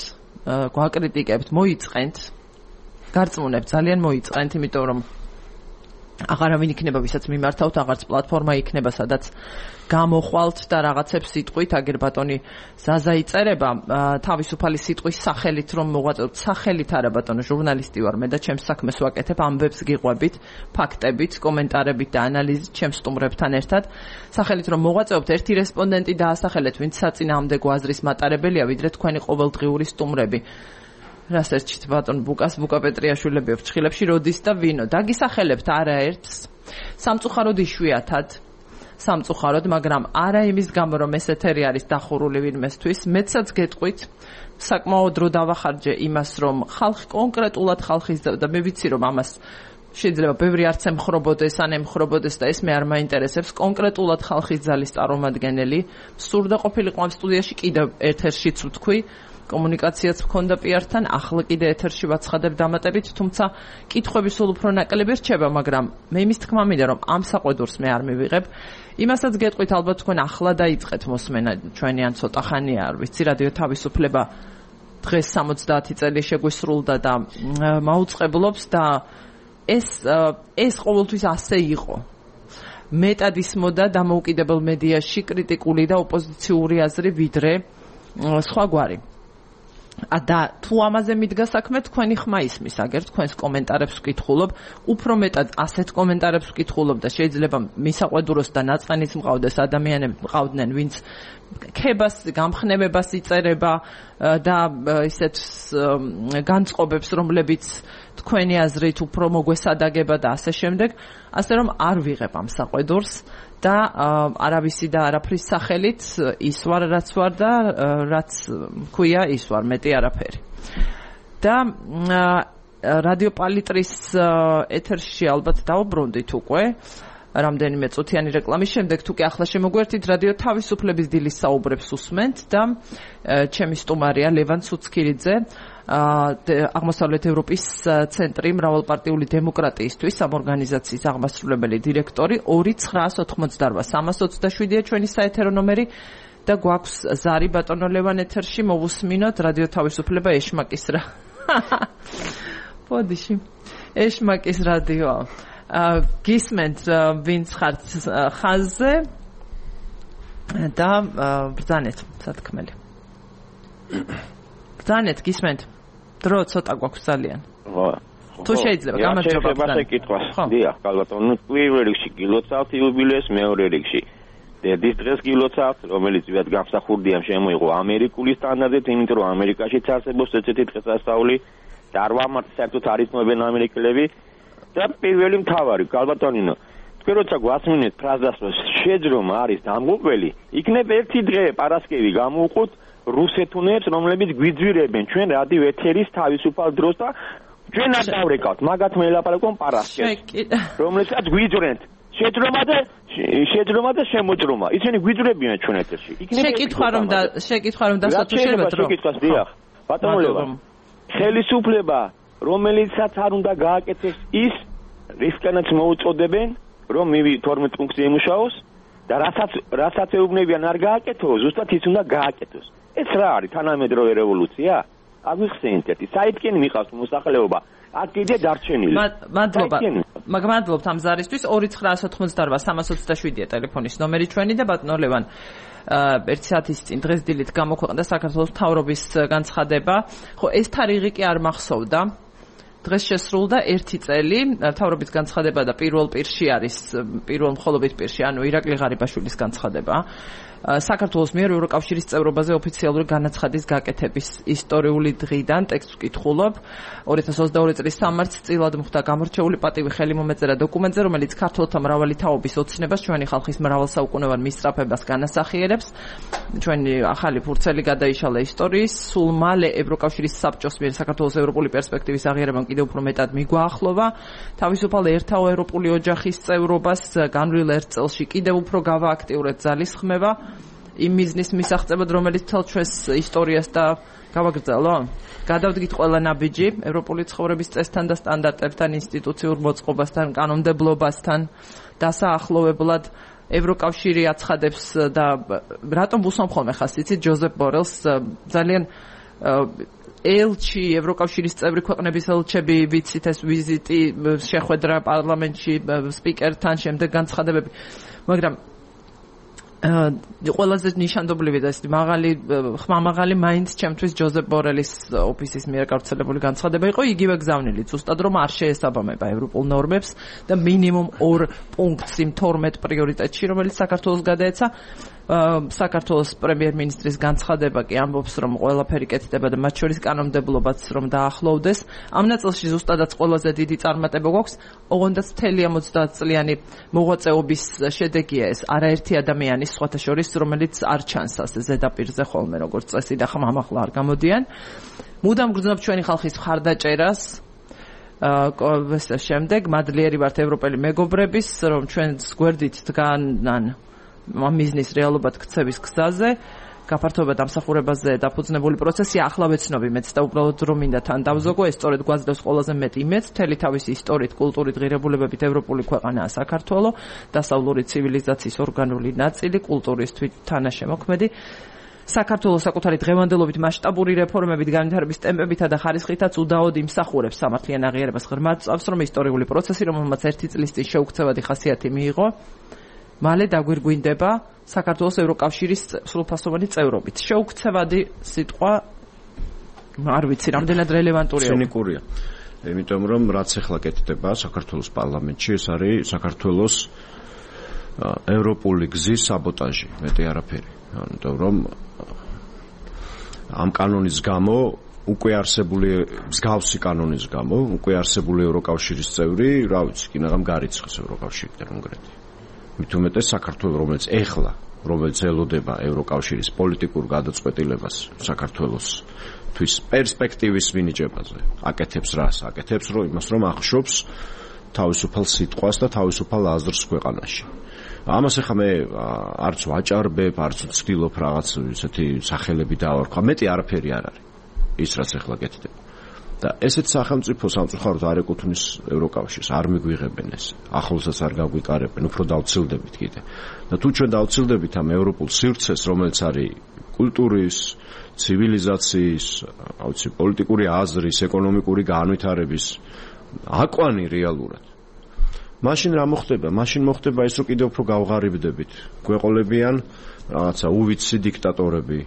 გვაკრიტიკებთ მოიწყენთ გარწმუნებთ ძალიან მოიწყენთ იმიტომ რომ აღარავინ იქნება ვისაც მიმართავთ აღარც პლატფორმა იქნება სადაც გამოხვალთ და რაღაცებს სიტყვით აგერ ბატონი ზაზა იწერება თავისუფალი სიტყვის სახელით რომ მოღვაწეობთ სახელით არა ბატონო ჟურნალისტი ვარ მე და ჩემს საქმეს ვაკეთებ ამბებს გიყვებით ფაქტებით კომენტარებით და ანალიზით ჩემს სტუმრებთან ერთად სახელით რომ მოღვაწეობთ ერთი რესპონდენტი დაასახელეთ ვინც საწინააღმდეგო აზრის მატარებელია ვიდრე თქვენი ყოველდღიური სტუმრები რას ერჩით ბატონ ბუკა პეტრიაშვილები ფრჩხილებში როდის და ვინო დაგისახელებთ არაერთს სამწუხაროდ იშვიათად სამწუხაროდ მაგრამ არა იმის გამო რომ ეს ეთერი არის დახურული ვინმესთვის მეცაც გეტყვით საკმაოდ დრო დავახარჯე იმას რომ ხალხი კონკრეტულად ხალხის და მე ვიცი რომ ამას შეიძლება ბევრი არც ემხრობოდეს ან ემხრობოდეს და ეს მე არ მაინტერესებს კონკრეტულად ხალხის ძალის წარმომადგენელი სურდა ყოფილიყო ამ სტუდიაში კიდევ ეთერშიც ვთქვი კომუნიკაციაც მქონდა პიართან, ახლა კიდე ეთერში ვაცხადებ დამატებით, თუმცა კითხვები სულ უფრო ნაკლები რჩება, მაგრამ მე იმის თქმა მინდა რომ ამ საყვედურს მე არ მივიღებ. იმასაც გეტყვით ალბათ თქვენ ახლა დაიწყეთ მოსმენა ჩვენი ან ცოტა ხანია, არ ვიცი, რადიო თავისუფლება დღეს 70 წელი შეგვისრულდა და მაუწყებლობს და ეს ყოველთვის ასე იყო. მეტად ისმოდა დამოუკიდებელ მედიაში კრიტიკული და ოპოზიციური აზრი ვიდრე სხვაგვარი. და თუ ამაზე მიდგა საქმე თქვენი ხმა ისმის აგერ თქვენს კომენტარებს ვკითხულობ უფრო მეტად ასეთ კომენტარებს ვკითხულობ და შეიძლება მისაყვედუროს და ნაწყენის მყავდეს ადამიანები მყავდნენ ვინც ქებას გამხნევებას იწერება და ისეთ განწყობებს რომლებიც თქვენი აზრით უფრო მოგვესადაგება და ასე შემდეგ ასე რომ არ ვიღებ ამ საყვედურს და არავისი და არაფრის სახელით ის ვარ რაც ვარ და რაც მქვია ის ვარ მეტი არაფერი და რადიო პალიტრის ეთერში ალბათ დავუბრუნდით უკვე რამდენიმე წუთიანი რეკლამის შემდეგ თუ კი ახლა შემოგვერთით რადიო თავისუფლების დილის საუბრებს უსმენთ და ჩემი სტუმარია ლევან ცუცქირიძე აღმოსავლეთ ევროპის ცენტრი მრავალპარტიული დემოკრატიისთვის ამ ორგანიზაციის აღმასრულებელი დირექტორი 2988-327-ია ჩვენი საეთერო ნომერი და გვაქვს ზარი ბატონო ლევან ეთერში მოვუსმინოთ რადიო თავისუფლება ეშმაკის რა პოდიში ეშმაკის რადიო გისმენთ ვინც ხართ ხაზზე და ბრძანეთ სათქმელი ბრძანეთ გისმენთ დრო ცოტა გვაქვს ძალიან თუ შეიძლება გამარჯობა ბრძანეთ დიახ ბატონო პირველ რიგში გილოცავთ იუბილეის მეორე რიგში დედის დღეს გილოცავთ რომელიც ვიად გამსახურდია შემოიღო ამერიკული სტანდარტით იმიტომ რომ ამერიკაშიც არსებობს ესეთი დღესასწაული და არ ვამართ საერთოდ არ იცნობენ ამერიკელები და პირველი მთავარი გალბატონინო თქვენ როცა გვასმინეთ ფრაზას რომ შეძრომა არის დამღუპველი იქნებ ერთი დღე პარასკევი გამოვუყოთ რუსეთუნებს რომლებიც გვიძვირებენ ჩვენ რადიო ეთერის თავისუფალ დროს და ჩვენ არ დავრეკავთ მაგათ მელაპარაკონ პარასკევს რომლებსაც გვიძვრენთ შეძრომა და შემოძრომა ისინი გვიძვრებიან ჩვენ ეთერში შეკითხვა რომ დასათუ შეიძლება დრო შეკითხვას დიახ ბატონო ლევან ხელისუფლება რომელიცაც არ უნდა გააკეთეს ის რისკანაც მოუწოდებენ რომ 12 პუნქტზე იმუშაოს და რასაც ეუბნებიან არ გააკეთოს ზუსტად ის უნდა გააკეთოს ეს რა არის თანამედროვე რევოლუცია აგვიხსენეთ ერთი საითკენი მიყავს მოსახლეობა აქ კიდე დარჩენილი მადლობთ ამ ზარისთვის 2988-327-ია ტელეფონის ნომერი ჩვენი და ბატონო ლევან ერთი საათის წინ დღეს დილით გამოქვეყნდა საქართველოს მთავრობის განცხადება ხო ეს თარიღი კი არ მახსოვდა დღეს შესრულდა 1 წელი მთავრობის განცხადება და პირველ პირში არის პირველ მხოლობით პირში, ანუ ირაკლი ღარიბაშვილის განცხადება. საქართველოს მიერ ევროკავშირის წევრობაზე ოფიციალური განაცხადის გაკეთების ისტორიული დღიდან ტექსტს ვკითხულობ. 2022 წლის 3 მარტს წილად მოხდა გამორჩეული პატივი ხელი მომეწერა დოკუმენტზე, რომელიც ქართველთა მრავალი თაობის ოცნებას, ჩვენი ხალხის მრავალსაუკუნოვან მისწრაფებას განასახიერებს. ჩვენი ახალი ფურცელი გადაიშალა ისტორიის, სულ მალე ევროკავშირის საბჭოს მიერ საქართველოს ევროპული პერსპექტივის აღიარებამ კიდევ უფრო მეტად მიგვაახლოვა. თავისუფალ ერთაო ევროპული ოჯახის წევრობას განვლილ 1 წელში კიდევ უფრო გავააქტიურეთ ძალისხმევა. იმ მიზნის მისაღწევად, რომელიც თელ ჩვენს ისტორიას და გავაგრძელო. გადავდგით ყველა ნაბიჯი ევროპული ცხოვრების წესთან და სტანდარტებთან, ინსტიტუციურ მოწყობასთან, კანონმდებლობასთან, დასაახლოვებლად ევროკავშირი აცხადებს და რატომ უსამხოლმე ხას იცით ჯოზეფ ბორელს ძალიან ელჩი ევროკავშირის წევრი ქვეყნების ელჩები ვიცით ეს ვიზიტი შეხვედრა პარლამენტში სპიკერთან შემდეგ განცხადებები მაგრამ ყველაზე ნიშანდობლივი და ეს ხმამაღალი მაინც ჩემთვის ჯოზეფ ბორელის ოფისის მიერ გავრცელებული განცხადება იყო იგივე გზავნილი ზუსტად რომ არ შეესაბამება ევროპულ ნორმებს და მინიმუმ 2 პუნქტს იმ 12 პრიორიტეტში რომელიც საქართველოს გადაეცა საქართველოს პრემიერ-მინისტრის განცხადება კი ამბობს რომ ყველაფერი კეთდება და მათ შორის კანონმდებლობაც რომ დაახლოვდეს ამ ნაწილში ზუსტადაც ყველაზე დიდი წარმატება გვაქვს ოღონდაც მთელი 70 წლიანი მოღვაწეობის შედეგია ეს არაერთი ადამიანის სხვათა შორის რომელიც არ ჩანს ასე ზედაპირზე ხოლმე როგორც წესი და ხმამაღლა არ გამოდიან მუდამ გრძნობ ჩვენი ხალხის მხარდაჭერას შემდეგ მადლიერი ვართ ევროპელი მეგობრების რომ ჩვენს გვერდით დგანან ამ მიზნის რეალობად ქცევის გზაზე გაფართოება დამსახურებაზე დაფუძნებული პროცესი ახლა ვეცნობი მეც და უბრალოდ რომ მინდა თან დავზოგო ეს სწორედ გვაძლევს ყველაზე მეტ იმედს მთელი თავისი ისტორიით კულტურით ღირებულებებით ევროპული ქვეყანაა საქართველო დასავლური ცივილიზაციის ორგანული ნაწილი კულტურის თვითთანაშემოქმედი საქართველოს საკუთარი დღევანდელობით მასშტაბური რეფორმებით განვითარების ტემპებითა და ხარისხითაც უდაოდ იმსახურებს სამართლიან აღიარებას ღრმად წავს რომ ისტორიული პროცესი რომელმაც 1 წლის წინ შეუქცევადი ხასიათი მიიღო მალე დაგვირგვინდება საქართველოს ევროკავშირის სრულფასოვანი წევრობით. შეუქცევადი სიტყვა არ ვიცი, რამდენად რელევანტურია. ცინიკურია. იმიტომ რომ რაც ახლა კეთდება საქართველოს პარლამენტში, ეს არის საქართველოს ევროპული გზის საბოტაჟი, მეტი არაფერი. იმიტომ რომ ამ კანონის გამო უკვე არსებული მსგავსი კანონის გამო უკვე არსებული ევროკავშირის წევრი, რა ვიცი, კინაღამ გარიცხეს ევროკავშირიდან კონკრეტულად. მით უმეტეს საქართველოს რომელიც ელოდება ევროკავშირის პოლიტიკურ გადაწყვეტილებას საქართველოსთვის პერსპექტივის მინიჭებაზე აკეთებს რას აკეთებს რომ იმას რომ ახშობს თავისუფალ სიტყვას და თავისუფალ აზრს ქვეყანაში ამას ახლა მე არც ვაჭარბებ არც ვცდილობ რაღაც ესეთი სახელები დავარქვა მეტი არაფერი არ არის ის რაც ახლა კეთდება და ესეთ სახელმწიფო სამწუხაროდ არ ეკუთვნის ევროკავშირს, არ მიგვიღებენ ეს. ახლოსაც არ გაგვიკარებენ, უფრო დავცილდებით კიდე. და თუ ჩვენ დავცილდებით ამ ევროპულ სივრცეს, რომელიც არის კულტურის, ცივილიზაციის, აუცი პოლიტიკური აზრის, ეკონომიკური განვითარების აკვანი რეალურად. მაშინ რა მოხდება? მაშინ მოხდება ის, რომ კიდევ უფრო გავღარიბდებით. გვეყოლებიან რაღაცა უვიცი დიქტატორები.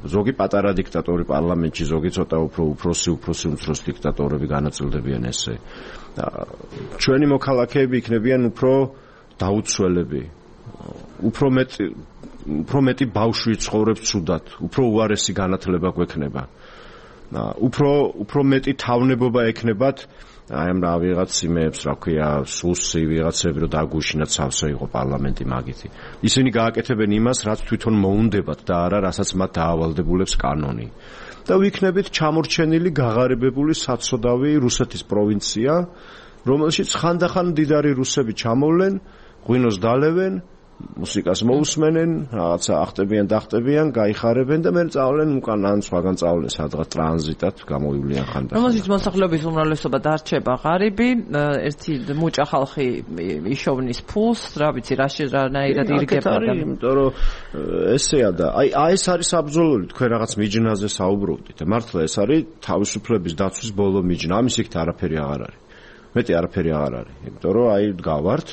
ზოგი პატარა დიქტატორი პარლამენტში, ზოგი ცოტა უფროსი დიქტატორები განაწილდებიან ესე. ჩვენი მოქალაქეები იქნებიან უფრო დაუცველები. უფრო მეტი ბავშვი ცხოვრობს ცუდად, უფრო უარესი განათლება გვექნება. უფრო მეტი თავნებობა ექნებათ აი ამ ვიღაც იმებს, რა ქვია, სუსი ვიღაცები რომ დაგუშინათ სავსე იყო პარლამენტი მაგითი. ისინი გააკეთებენ იმას, რაც თვითონ მოუნდებათ და არა რასაც მათ დაავალდებულებს კანონი. და ვიქნებით ჩამორჩენილი, გაღარიბებული საცოდავი რუსეთის პროვინცია, რომელშიც ხანდახან მდიდარი რუსები ჩამოვლენ, ღვინოს დალევენ, მუსიკას მოусმენენ, რაღაცა ახტებიან, დახტებიან, გაიხარებენ და მერე წავლენ უკან ან სხვაგან წავლენ სადღაც ტრანზიტად გამოვივლიან ხანდახან. რომელშიც მოსახლეობის უმრავლესობა დარჩება ღარიბი, ერთი მუჭა ხალხი იშოვნის ფულს, რა ვიცი, რანაირად ირგება და იმიტომ რომ ესეა და აი ეს არის საბრძოლოები, თქვენ რაღაც მიჯნაზე საუბრობდით. მართლა ეს არის თავისუფლების დაცვის ბოლო მიჯნა. ამის იქით არაფერი აღარ არის. მეტი არაფერი აღარ არის, იმიტომ რომ აი გავართ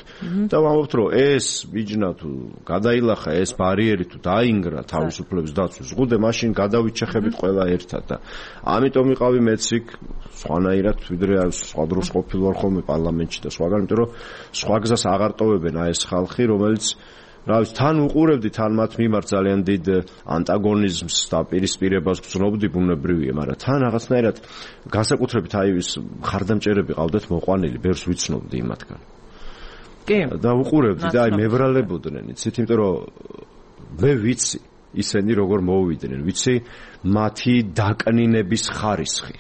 და ვამბობთ რომ ეს ბიჯნა თუ გადაილახა ეს ბარიერი თუ დაინგრა თავისუფლების დაცვის ზღუდე მაშინ გადავიჩეხებით ყველა ერთად და ამიტომ ვიყავი მეც იქ სხვანაირად ვიდრე სხვა დროს ყოფილ ვარ ხოლმე პარლამენტში და სხვაგან, იმიტომ რომ სხვა გზას აღარ ტოვებენ აი ეს ხალხი, რომელიც რა ვიცი, თან უყურებდი, თან მათ მიმართ ძალიან დიდ ანტაგონიზმს და პირისპირებას გრძნობდი, ბუნებრივია, მაგრამ თან რაღაცნაირად განსაკუთრებით აი ეს ხარდამჭერები ყავდათ მოყვანილი, ბევრს ვიცნობდი იმათგან. კი. და უყურებდი და აი მებრალებოდნენ, იცით, იმიტომ რომ მე ვიცი ისინი როგორ მოვიდნენ, ვიცი მათი დაკნინების ხარისხი.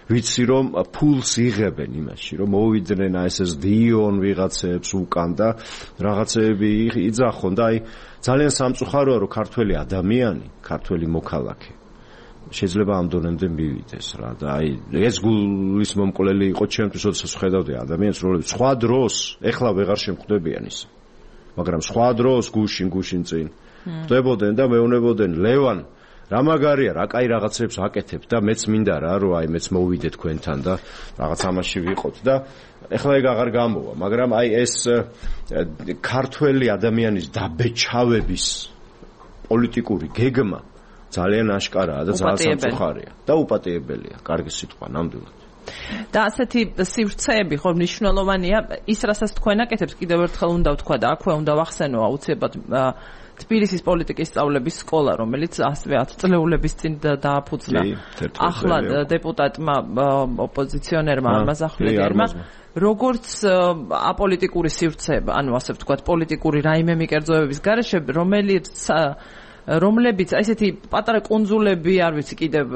ვიცი რომ ფულს იღებენ იმაში რომ მოვიდნენ ეს დიონ ვიღაცებს უკან და რაღაცები იძახონ და აი ძალიან სამწუხაროა რომ ქართველი ადამიანი, ქართველი მოქალაქე შეიძლება ამ დონემდე მივიდეს რა და აი ეს გულის მომკვლელი იყო ჩემთვის, როდესაც ხედავდი ადამიანს, რომლებიც სხვა დროს ეხლა ვეღარ შემხვდებიან ის, მაგრამ სხვა დროს გუშინ წინ ხდებოდნენ და მეუნებოდნენ ლევან რა მაგარია, რა კაი რაღაცებს აკეთებ და მეც მინდა რა, რომ აი მეც მოვიდე თქვენთან და რაღაც ამაში ვიყოთ და ეხლა ეგ აღარ გამოვა, მაგრამ აი ეს ქართველი ადამიანის დაბეჭავების პოლიტიკური გეგმა ძალიან აშკარაა და ძალიან სამწუხარია და უპატიებელია, კარგი სიტყვა ნამდვილად. და ასეთი სივრცეები ხო მნიშვნელოვანია, ის რასაც თქვენ აკეთებს კიდევ ერთხელ უნდა ვთქვა და აქვე უნდა ვახსენო აუცილებლად თბილისის პოლიტიკის სწავლების სკოლა, რომელიც ასევე 10 წლეულების წინ დააფუძნა. ახლა დეპუტატმა ოპოზიციონერმა მაზახვლედერმა როგორც აპოლიტიკური სივრცეება, ანუ ასე ვთქვათ, პოლიტიკური რაიმე მიკერძოებების გარეშე, რომლებიც ესეთი პატარა კუნძულები, არ ვიცი კიდევ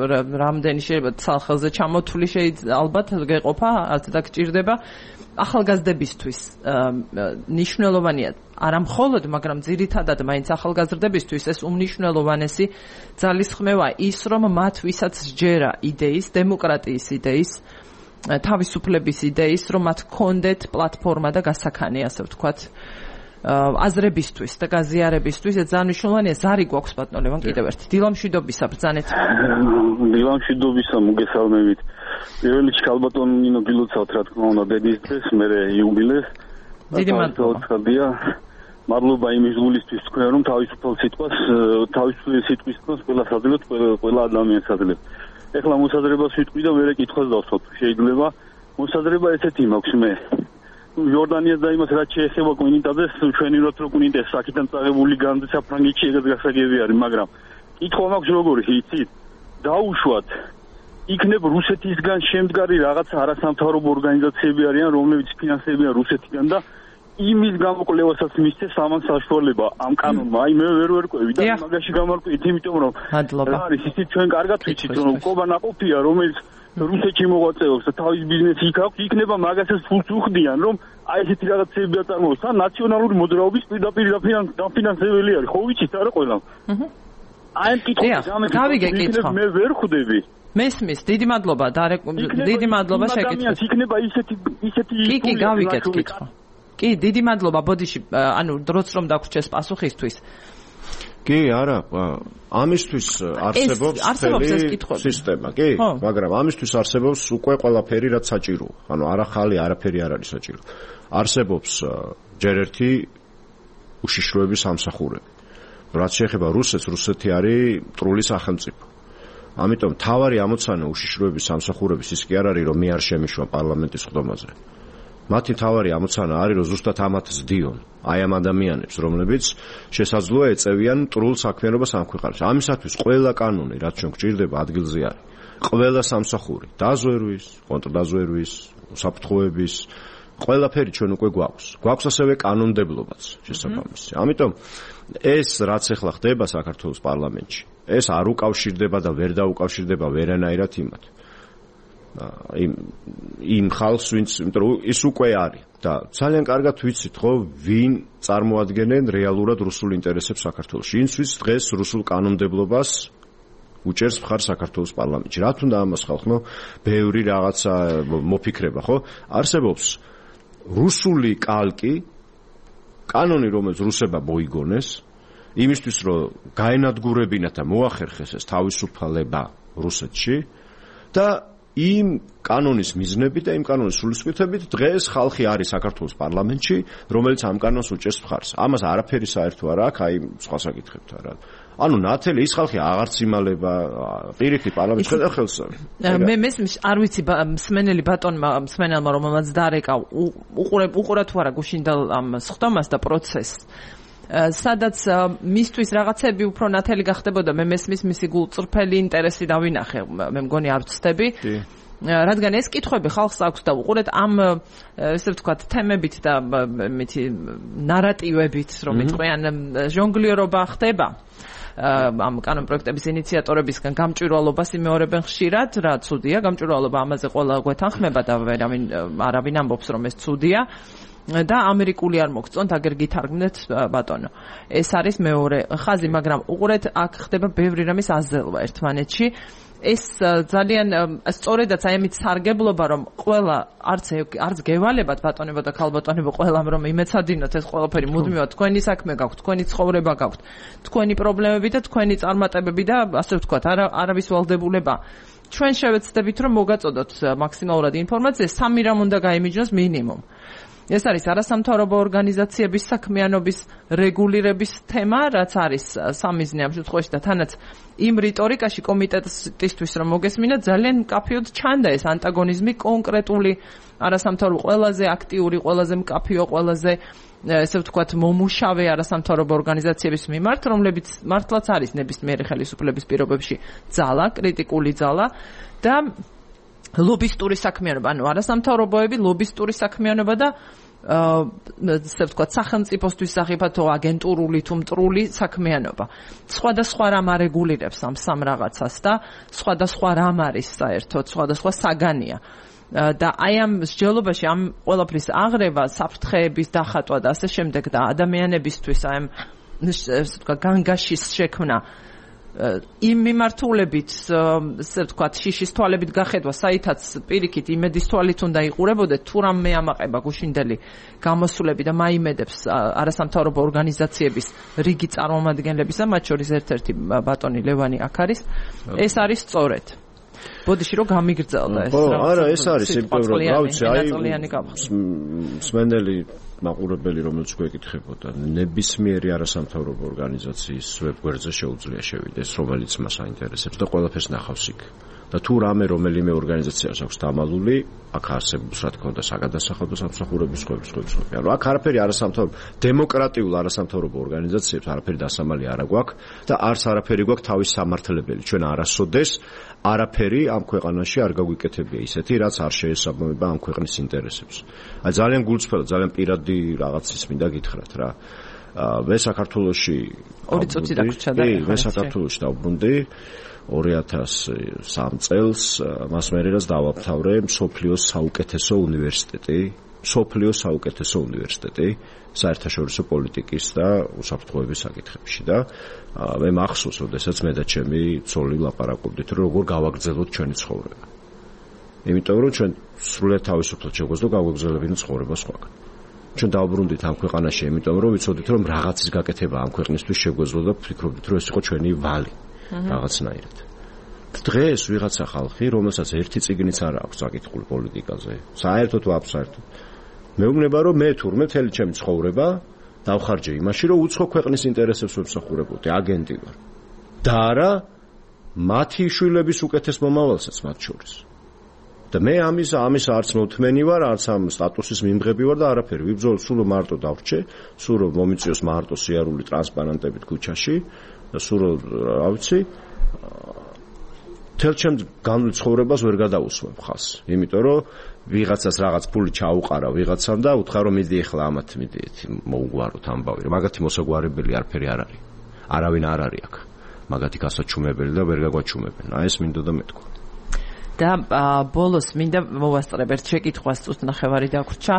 რამდენი შეიძლება ცალხელზე ჩამოთვლი შეიძლება ალბათ გეყოფა, არც და გჭირდება ახალგაზრდებისთვის ნიშნულოვანია არა მხოლოდ, მაგრამ ძირითადად მაინც ახალგაზრდებისთვის ეს უმნიშვნელოვანესი ძალისხმევა ის, რომ მათ ვისაც სჯერა იდეის, დემოკრატიის იდეის, თავისუფლების იდეის, რომ მათ კონდეთ პლატფორმა და გასაქანი, ასე ვთქვათ, აზრებისთვის და გაზიარებისთვის, ეს ძალიან მნიშვნელოვანია. ზარი გვაქვს ბატონო ლევან კიდევ ერთი. დილამშვიდობისა ბრძანეთ. დილამშვიდობისა მოგესალმებით. პირველ რიგში ქალბატონ ნინო გილოცავთ, რა თქმა უნდა, დედის დღეს, მერე იუბილეს. დიდი მადლობა. მადლობა იმის გულისთვის თქვენ, რომ თავისუფალ სიტყვის თქოს ყველა საძლევთ, ყველა ადამიანს აძლევთ. ეხლა მოსაზრებას ვიტყვი და მერე კითხვას დავსვათ. შეიძლება მოსაზრება ესეთი მაქვს მე. იორდანიას და იმას რაც შეეხება კვინიტაძეს, ჩვენი რო კვინიტეს საკიდან წაღებული განძი საფრანგეთში ეგრე გასაგები არის, მაგრამ კითხვა მაქვს როგორი, იცით? დაუშვათ იქნებ რუსეთისგან შემდგარი რაღაც არასამთავრობო ორგანიზაციები არიან, რომლებიც ფინანსებიან რუსეთიდან და იმის გამოკვლევასაც მისცეს ამან საშუალება ამ კანონმა. აი მე ვერ ყვევი და მაგაში გამარკვევით, იმიტომ რომ რა არის ისიც ჩვენ კარგად ვიცით, რომ ყობა ნაყოფია, რომელიც რუსეთში მოღვაწეობს და თავის ბიზნესი იქ აქვს, იქნება მაგასაც ფულს უხდიან, რომ აი ესეთი რაღაცები აწარმოოს. ან ნაციონალური მოძრაობის პირდაპირ დაფინანსებელი არის, ხო ვიცით არა ყველამ. აი ამ კითხვას გამეკითხეთ, მე ვერ ხვდები. მესმის, დიდი მადლობა, დიდი მადლობა შეკითხვით. იქნება ისეთი კი, გავიგეთ კითხვა. კი, დიდი მადლობა, ბოდიში, ანუ დროც რომ დაგვრჩეს პასუხისთვის. კი, არა, ამისთვის არსებობს სისტემა, კი, მაგრამ ამისთვის არსებობს უკვე ყველაფერი, რაც საჭიროა. ანუ არა ხალი, არაფერი არ არის საჭირო. არსებობს ჯერ ერთი უშიშროების სამსახურები. რაც შეეხება რუსეთს, რუსეთი არის მტრული სახელმწიფო. ამიტომ თავარი ამოცანა უშიშროების სამსახურების ის კი არ არის, რომ მე არ შემიშვა პარლამენტის ხდომაზე. მათი თავარი ამოცანა არის, რომ ზუსტად ამათ ზდიონ აი ამ ადამიანებს, რომლებიც შესაძლოა ეწევიან მტრულ საქმიანობას ამ ქვეყანაში. ამისათვის ყველა კანონი, რაც ჩვენ გვჭირდება, ადგილზე არის. ყველა სამსახური, დაზვერვის, კონტრდაზვერვის, საფრთხოების, ყველაფერი ჩვენ უკვე გვაქვს. გვაქვს ასევე კანონმდებლობაც შესაბამისი. ამიტომ ეს რაც ახლა ხდება საქართველოს პარლამენტში, ეს არ უკავშირდება და ვერ დაუკავშირდება ვერანაირად იმათ. იმ ხალხს, ვინც, იმიტომ რომ ის უკვე არის და ძალიან კარგად ვიცით, ხო, ვინ წარმოადგენენ რეალურად რუსულ ინტერესებს საქართველოში. ინცვის დღეს რუსულ კანონმდებლობას უჭერს მხარ საქართველოს პარლამენტში. რა თუნდა ამას ხალხო, ბევრი რაღაცა მოფიქრება, ხო? არსებობს რუსული კალკი, კანონი, რომელიც რუსებმა მოიგონეს, იმისთვის, რომ გაენადგურებინათ და მოახერხეს ეს თავისუფალება რუსეთში და იმ კანონის მიზნებით და იმ კანონის სულისკვეთებით დღეს ხალხი არის საქართველოს პარლამენტში, რომელიც ამ კანონს უჭერს მხარს. ამას არაფერი საერთო არ აქვს, აი სხვა საკითხებთან რა. ანუ ნათელი ის ხალხი აღარც იმალება, პირიქით პარლამენტში ხედავ ხელს. მე არ ვიცი მსმენელი ბატონმა, მსმენელმა რომელმაც დარეკა, უყურა თუ არა გუშინდელ ამ სხდომას და პროცესს. სადაც მისთვის რაღაცები უფრო ნათელი გახდებოდა, მე მესმის მისი გულწრფელი ინტერესი დავინახე, მე მგონი არ ვცდები. რადგან ეს კითხვები ხალხს აქვს და უყურეთ ამ ესე ვთქვათ თემებით და მითი ნარატივებით, რომ იტყვიან ჟონგლიორობა ხდება. ამ კანონ პროექტების ინიციატორებისგან გამჭვირვალობას იმეორებენ ხშირად, რა ცუდია, გამჭვირვალობა ამაზე ყველა გვეთანხმება და არავინ ამბობს რომ ეს ცუდია. და ამერიკული არ მოგწონთ, აგერ გითარგმნეთ ბატონო. ეს არის მეორე ხაზი, მაგრამ უყურეთ, აქ ხდება ბევრი რამის აზელვა ერთმანეთში. ეს ძალიან სწორედაც აი ამით სარგებლობა, რომ ყველა არც გევალებათ ბატონებო და ქალბატონებო ყველამ რომ იმეცადინოთ ეს ყველაფერი მუდმივად თქვენი საქმე გაქვთ, თქვენი ცხოვრება გაქვთ, თქვენი პრობლემები და თქვენი წარმატებები და ასე ვთქვათ, არავის ვალდებულება. ჩვენ შევეცდებით რომ მოგაწოდოთ მაქსიმალურად ინფორმაცია, 3 რამ უნდა გაიმიჯნოს მინიმუმ. ეს არის არასამთავრობო ორგანიზაციების საქმიანობის რეგულირების თემა, რაც არის სამიზნე ამ შემთხვევაში და თანაც იმ რიტორიკაში კომიტეტისთვის რომ მოგესმინა ძალიან მკაფიოდ ჩანდა ეს ანტაგონიზმი კონკრეტული არასამთავრობო ყველაზე აქტიური, ყველაზე მკაფიო, ყველაზე ესე ვთქვათ მომუშავე არასამთავრობო ორგანიზაციების მიმართ, რომლებიც მართლაც არის ნებისმიერი ხელისუფლების პირობებში ძალა, კრიტიკული ძალა და ლობისტური საქმიანობა, ანუ არასამთავრობოები, ლობისტური საქმიანობა და ესე ვთქვათ სახელმწიფოსთვის სახიფათო აგენტურული თუ მტრული საქმიანობა. სხვადასხვა რამ არეგულირებს ამ სამ რაღაცას და სხვადასხვა რამ არის საერთოდ, სხვადასხვა საგანია. და აი ამ მსჯელობაში ამ ყველაფრის აღრევა, საფრთხეების დახატვა და ასე შემდეგ და ადამიანებისთვის აი ამ ესე ვთქვათ განგაშის შექმნა იმ მიმართულებით, ესე ვთქვათ, შიშის თვალებით გახედვა, საითაც პირიქით იმედის თვალით უნდა იყურებოდეთ, თუ რამე ამაყება გუშინდელი გამოსვლები და მაიმედებს არასამთავრობო ორგანიზაციების რიგი წარმომადგენლებისა, მათ შორის ერთ-ერთი ბატონი ლევანი აქ არის, ეს არის სწორედ. ბოდიში რომ გამიგრძელდა ეს. არა, ეს არის სიმპტომი, რა ვიცი, აი მსმენელი მაყურებელი, რომელიც გვეკითხებოდა, ნებისმიერი არასამთავრობო ორგანიზაციის ვებგვერდზე შეუძლია შევიდეს, რომელიც მას აინტერესებს და ყველაფერს ნახავს იქ. და თუ რამე რომელიმე ორგანიზაციას აქვს დამალული, აქ არსებობს რა თქმა უნდა საგადასახადო სამსახურების სხვადასხვა. ანუ აქ არაფერი არასამთავრობო, დემოკრატიულ არასამთავრობო ორგანიზაციებს არაფერი დასამალი არ აქვს და არც არაფერი გვაქვს თავის სამართლებელი. ჩვენ არასოდეს არაფერი ამ ქვეყანაში არ გაგვიკეთებია ისეთი, რაც არ შეესაბამება ამ ქვეყნის ინტერესებს. აი ძალიან გულწრფელად, ძალიან პირადი რაღაცის მინდა გითხრათ რა. მე საქართველოში 2 წუთი დაგვრჩა და მე საქართველოში დავბრუნდი 2003 წელს, მას მერე რაც დავამთავრე მსოფლიოს საუკეთესო უნივერსიტეტი, საერთაშორისო პოლიტიკის და უსაფრთხოების საკითხებში და მე მახსოვს, როდესაც მე და ჩემი ცოლი ლაპარაკობდით, რომ როგორ გავაგრძელოთ ჩვენი ცხოვრება. იმიტომ რომ ჩვენ სრულად თავისუფლად შეგვეძლო გავაგრძელებინო ცხოვრება სხვაგან. ჩვენ დავბრუნდით ამ ქვეყანაში, იმიტომ რომ ვიცოდით, რომ რაღაცის გაკეთება ამ ქვეყნისთვის შეგვეძლო და ვფიქრობდით, რომ ეს იყო ჩვენი ვალი. რაღაცნაირად. დღეს ვიღაცა ხალხი, რომელსაც ერთი წიგნიც არ აქვს საკითხული პოლიტიკაზე, საერთოდ ვაბსაერთოდ. მეუბნება, რომ მე თურმე მთელი ჩემი ცხოვრება დავხარჯე იმაში, რომ უცხო ქვეყნის ინტერესებს ვემსახურებოდი, აგენტი ვარ. და არა მათი შვილების უკეთეს მომავალსაც მათ შორის. და მე ამის არც მოთმენი ვარ, არც ამ სტატუსის მიმღები ვარ და არაფერი. ვიბრძოლ სულ მარტო დავრჩე, სულ მომიწიოს მარტო სიარული ტრანსპარანტებით ქუჩაში. და სულ რა ვიცი თელ ჩემ განვლილ ცხოვრებას ვერ გადაუსვებ ხალხს, იმიტომ რომ ვიღაცას რაღაც ფული ჩაუყარა ვიღაცამ და უთხრა რომ მიდი ახლა ამათ მიდი მოუგვაროთ ამბავი, მაგათი მოსაგვარებელი არაფერი არ არის, არავინ არ არის აქ მაგათი გასაჩუმებელი და ვერ გაგვაჩუმებენ. აი ეს მინდოდა მეთქვა. და ბოლოს მინდა მოვასწრებ ერთ შეკითხვას, წუთ ნახევარი დაგვრჩა,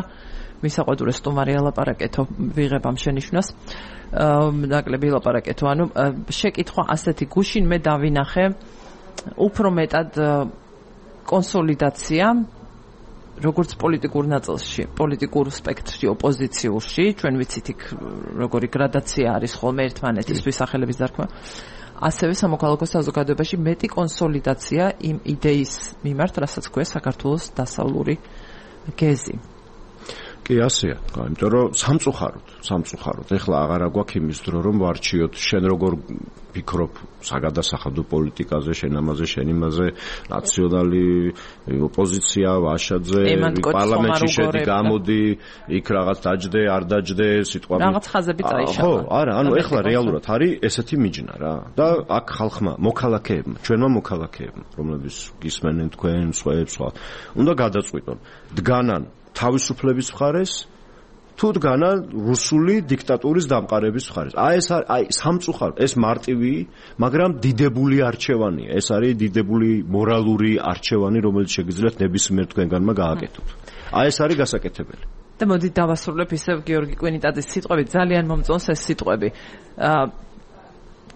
მისაყვედურე სტუმარი ალაპარაკეთო ვიღებ ამ შენიშვნას. ნაკლები ლაპარაკეთო, ანუ შეკითხვა ასეთი, გუშინ მე დავინახე უფრო მეტად კონსოლიდაცია როგორც პოლიტიკურ ნაწილში, პოლიტიკურ სპექტრში, ოპოზიციურში, ჩვენ ვიცით იქ როგორი გრადაცია არის ხოლმე ერთმანეთის ვისახელების დარქმევა. ასევე სამოქალაქო საზოგადოებაში მეტი კონსოლიდაცია იმ იდეის მიმართ, რასაც ქვია საქართველოს დასავლური გეზი. კი ასეა, იმიტომ რომ სამწუხაროდ. ეხლა აღარა გვაქვს იმის დრო რომ ვარჩიოთ შენ როგორ ფიქრობ საგადასახადო პოლიტიკაზე, შენ ამაზე, შენ იმაზე, ნაციონალი ოპოზიცია, ვაშაძე, პარლამენტში შედი, გამოდი, იქ რაღაც დაჯდე, არ დაჯდე, სიტყვები. რაღაც ხაზები წაიშალა. ხო, არა, ანუ ეხლა რეალურად არის ესეთი მიჯნა რა. და აქ ხალხმა, მოქალაქეებმა, ჩვენმა მოქალაქეებმა, რომლებიც გისმენენ თქვენ, სხვა, უნდა გადაწყვიტონ. დგანან თავისუფლების მხარეს თუ დგანან რუსული დიქტატურის დამყარების მხარეს. აი სამწუხაროდ ეს მარტივი, მაგრამ დიდებული არჩევანია. ეს არის დიდებული მორალური არჩევანი, რომელიც შეგიძლიათ ნებისმიერ თქვენგანმა გააკეთოთ. აი ეს არის გასაკეთებელი. და მოდით დავასრულებ ისევ გიორგი კვინიტაძის სიტყვები, ძალიან მომწონს ეს სიტყვები.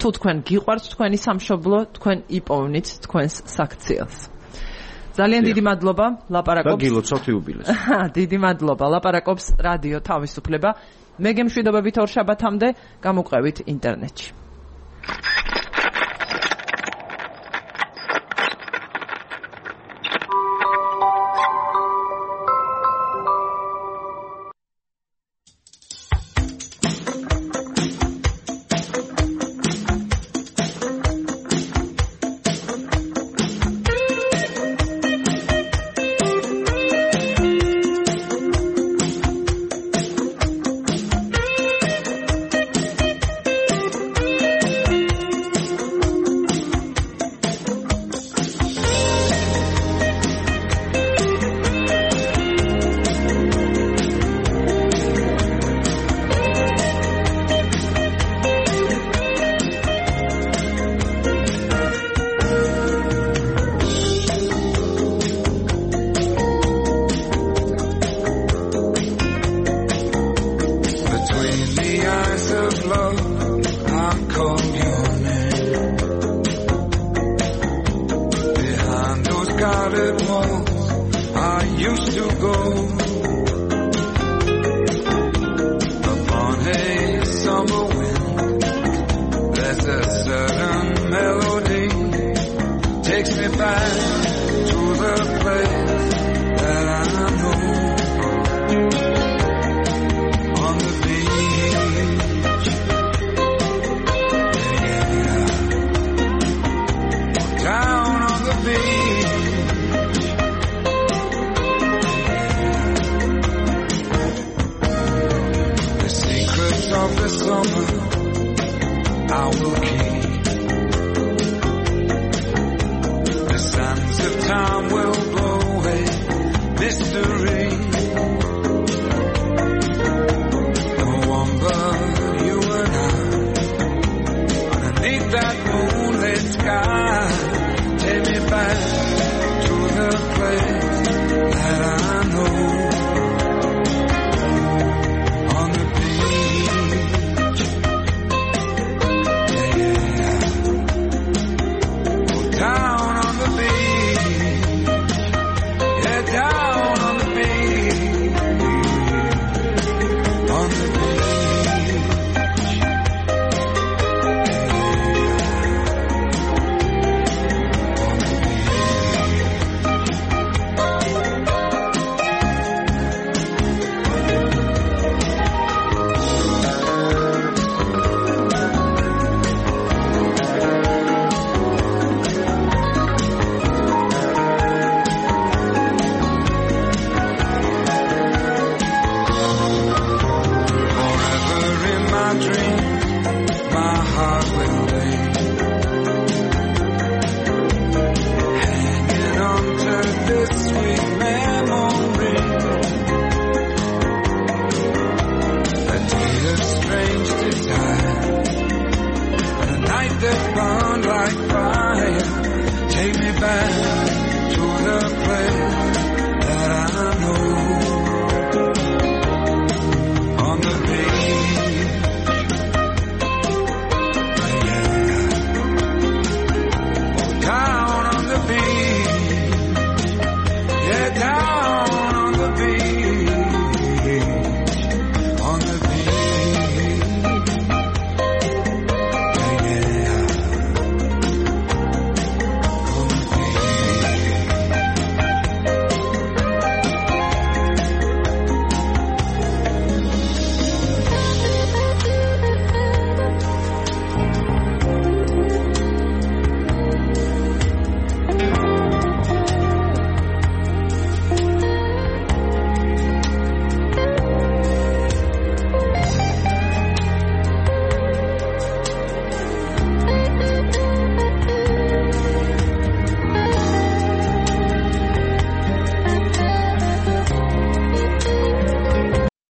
თუ თქვენ გიყვართ თქვენი სამშობლო, თქვენ იპოვნით თქვენს საქციელს. ძალიან დიდი მადლობა, ლაპარაკობს. და გილოცავთ იუბილეს. დიდი მადლობა, ლაპარაკობს რადიო თავისუფლება. მე გემშვიდობებით ორ შაბათამდე, გამოყევით ინტერნეტში. dream.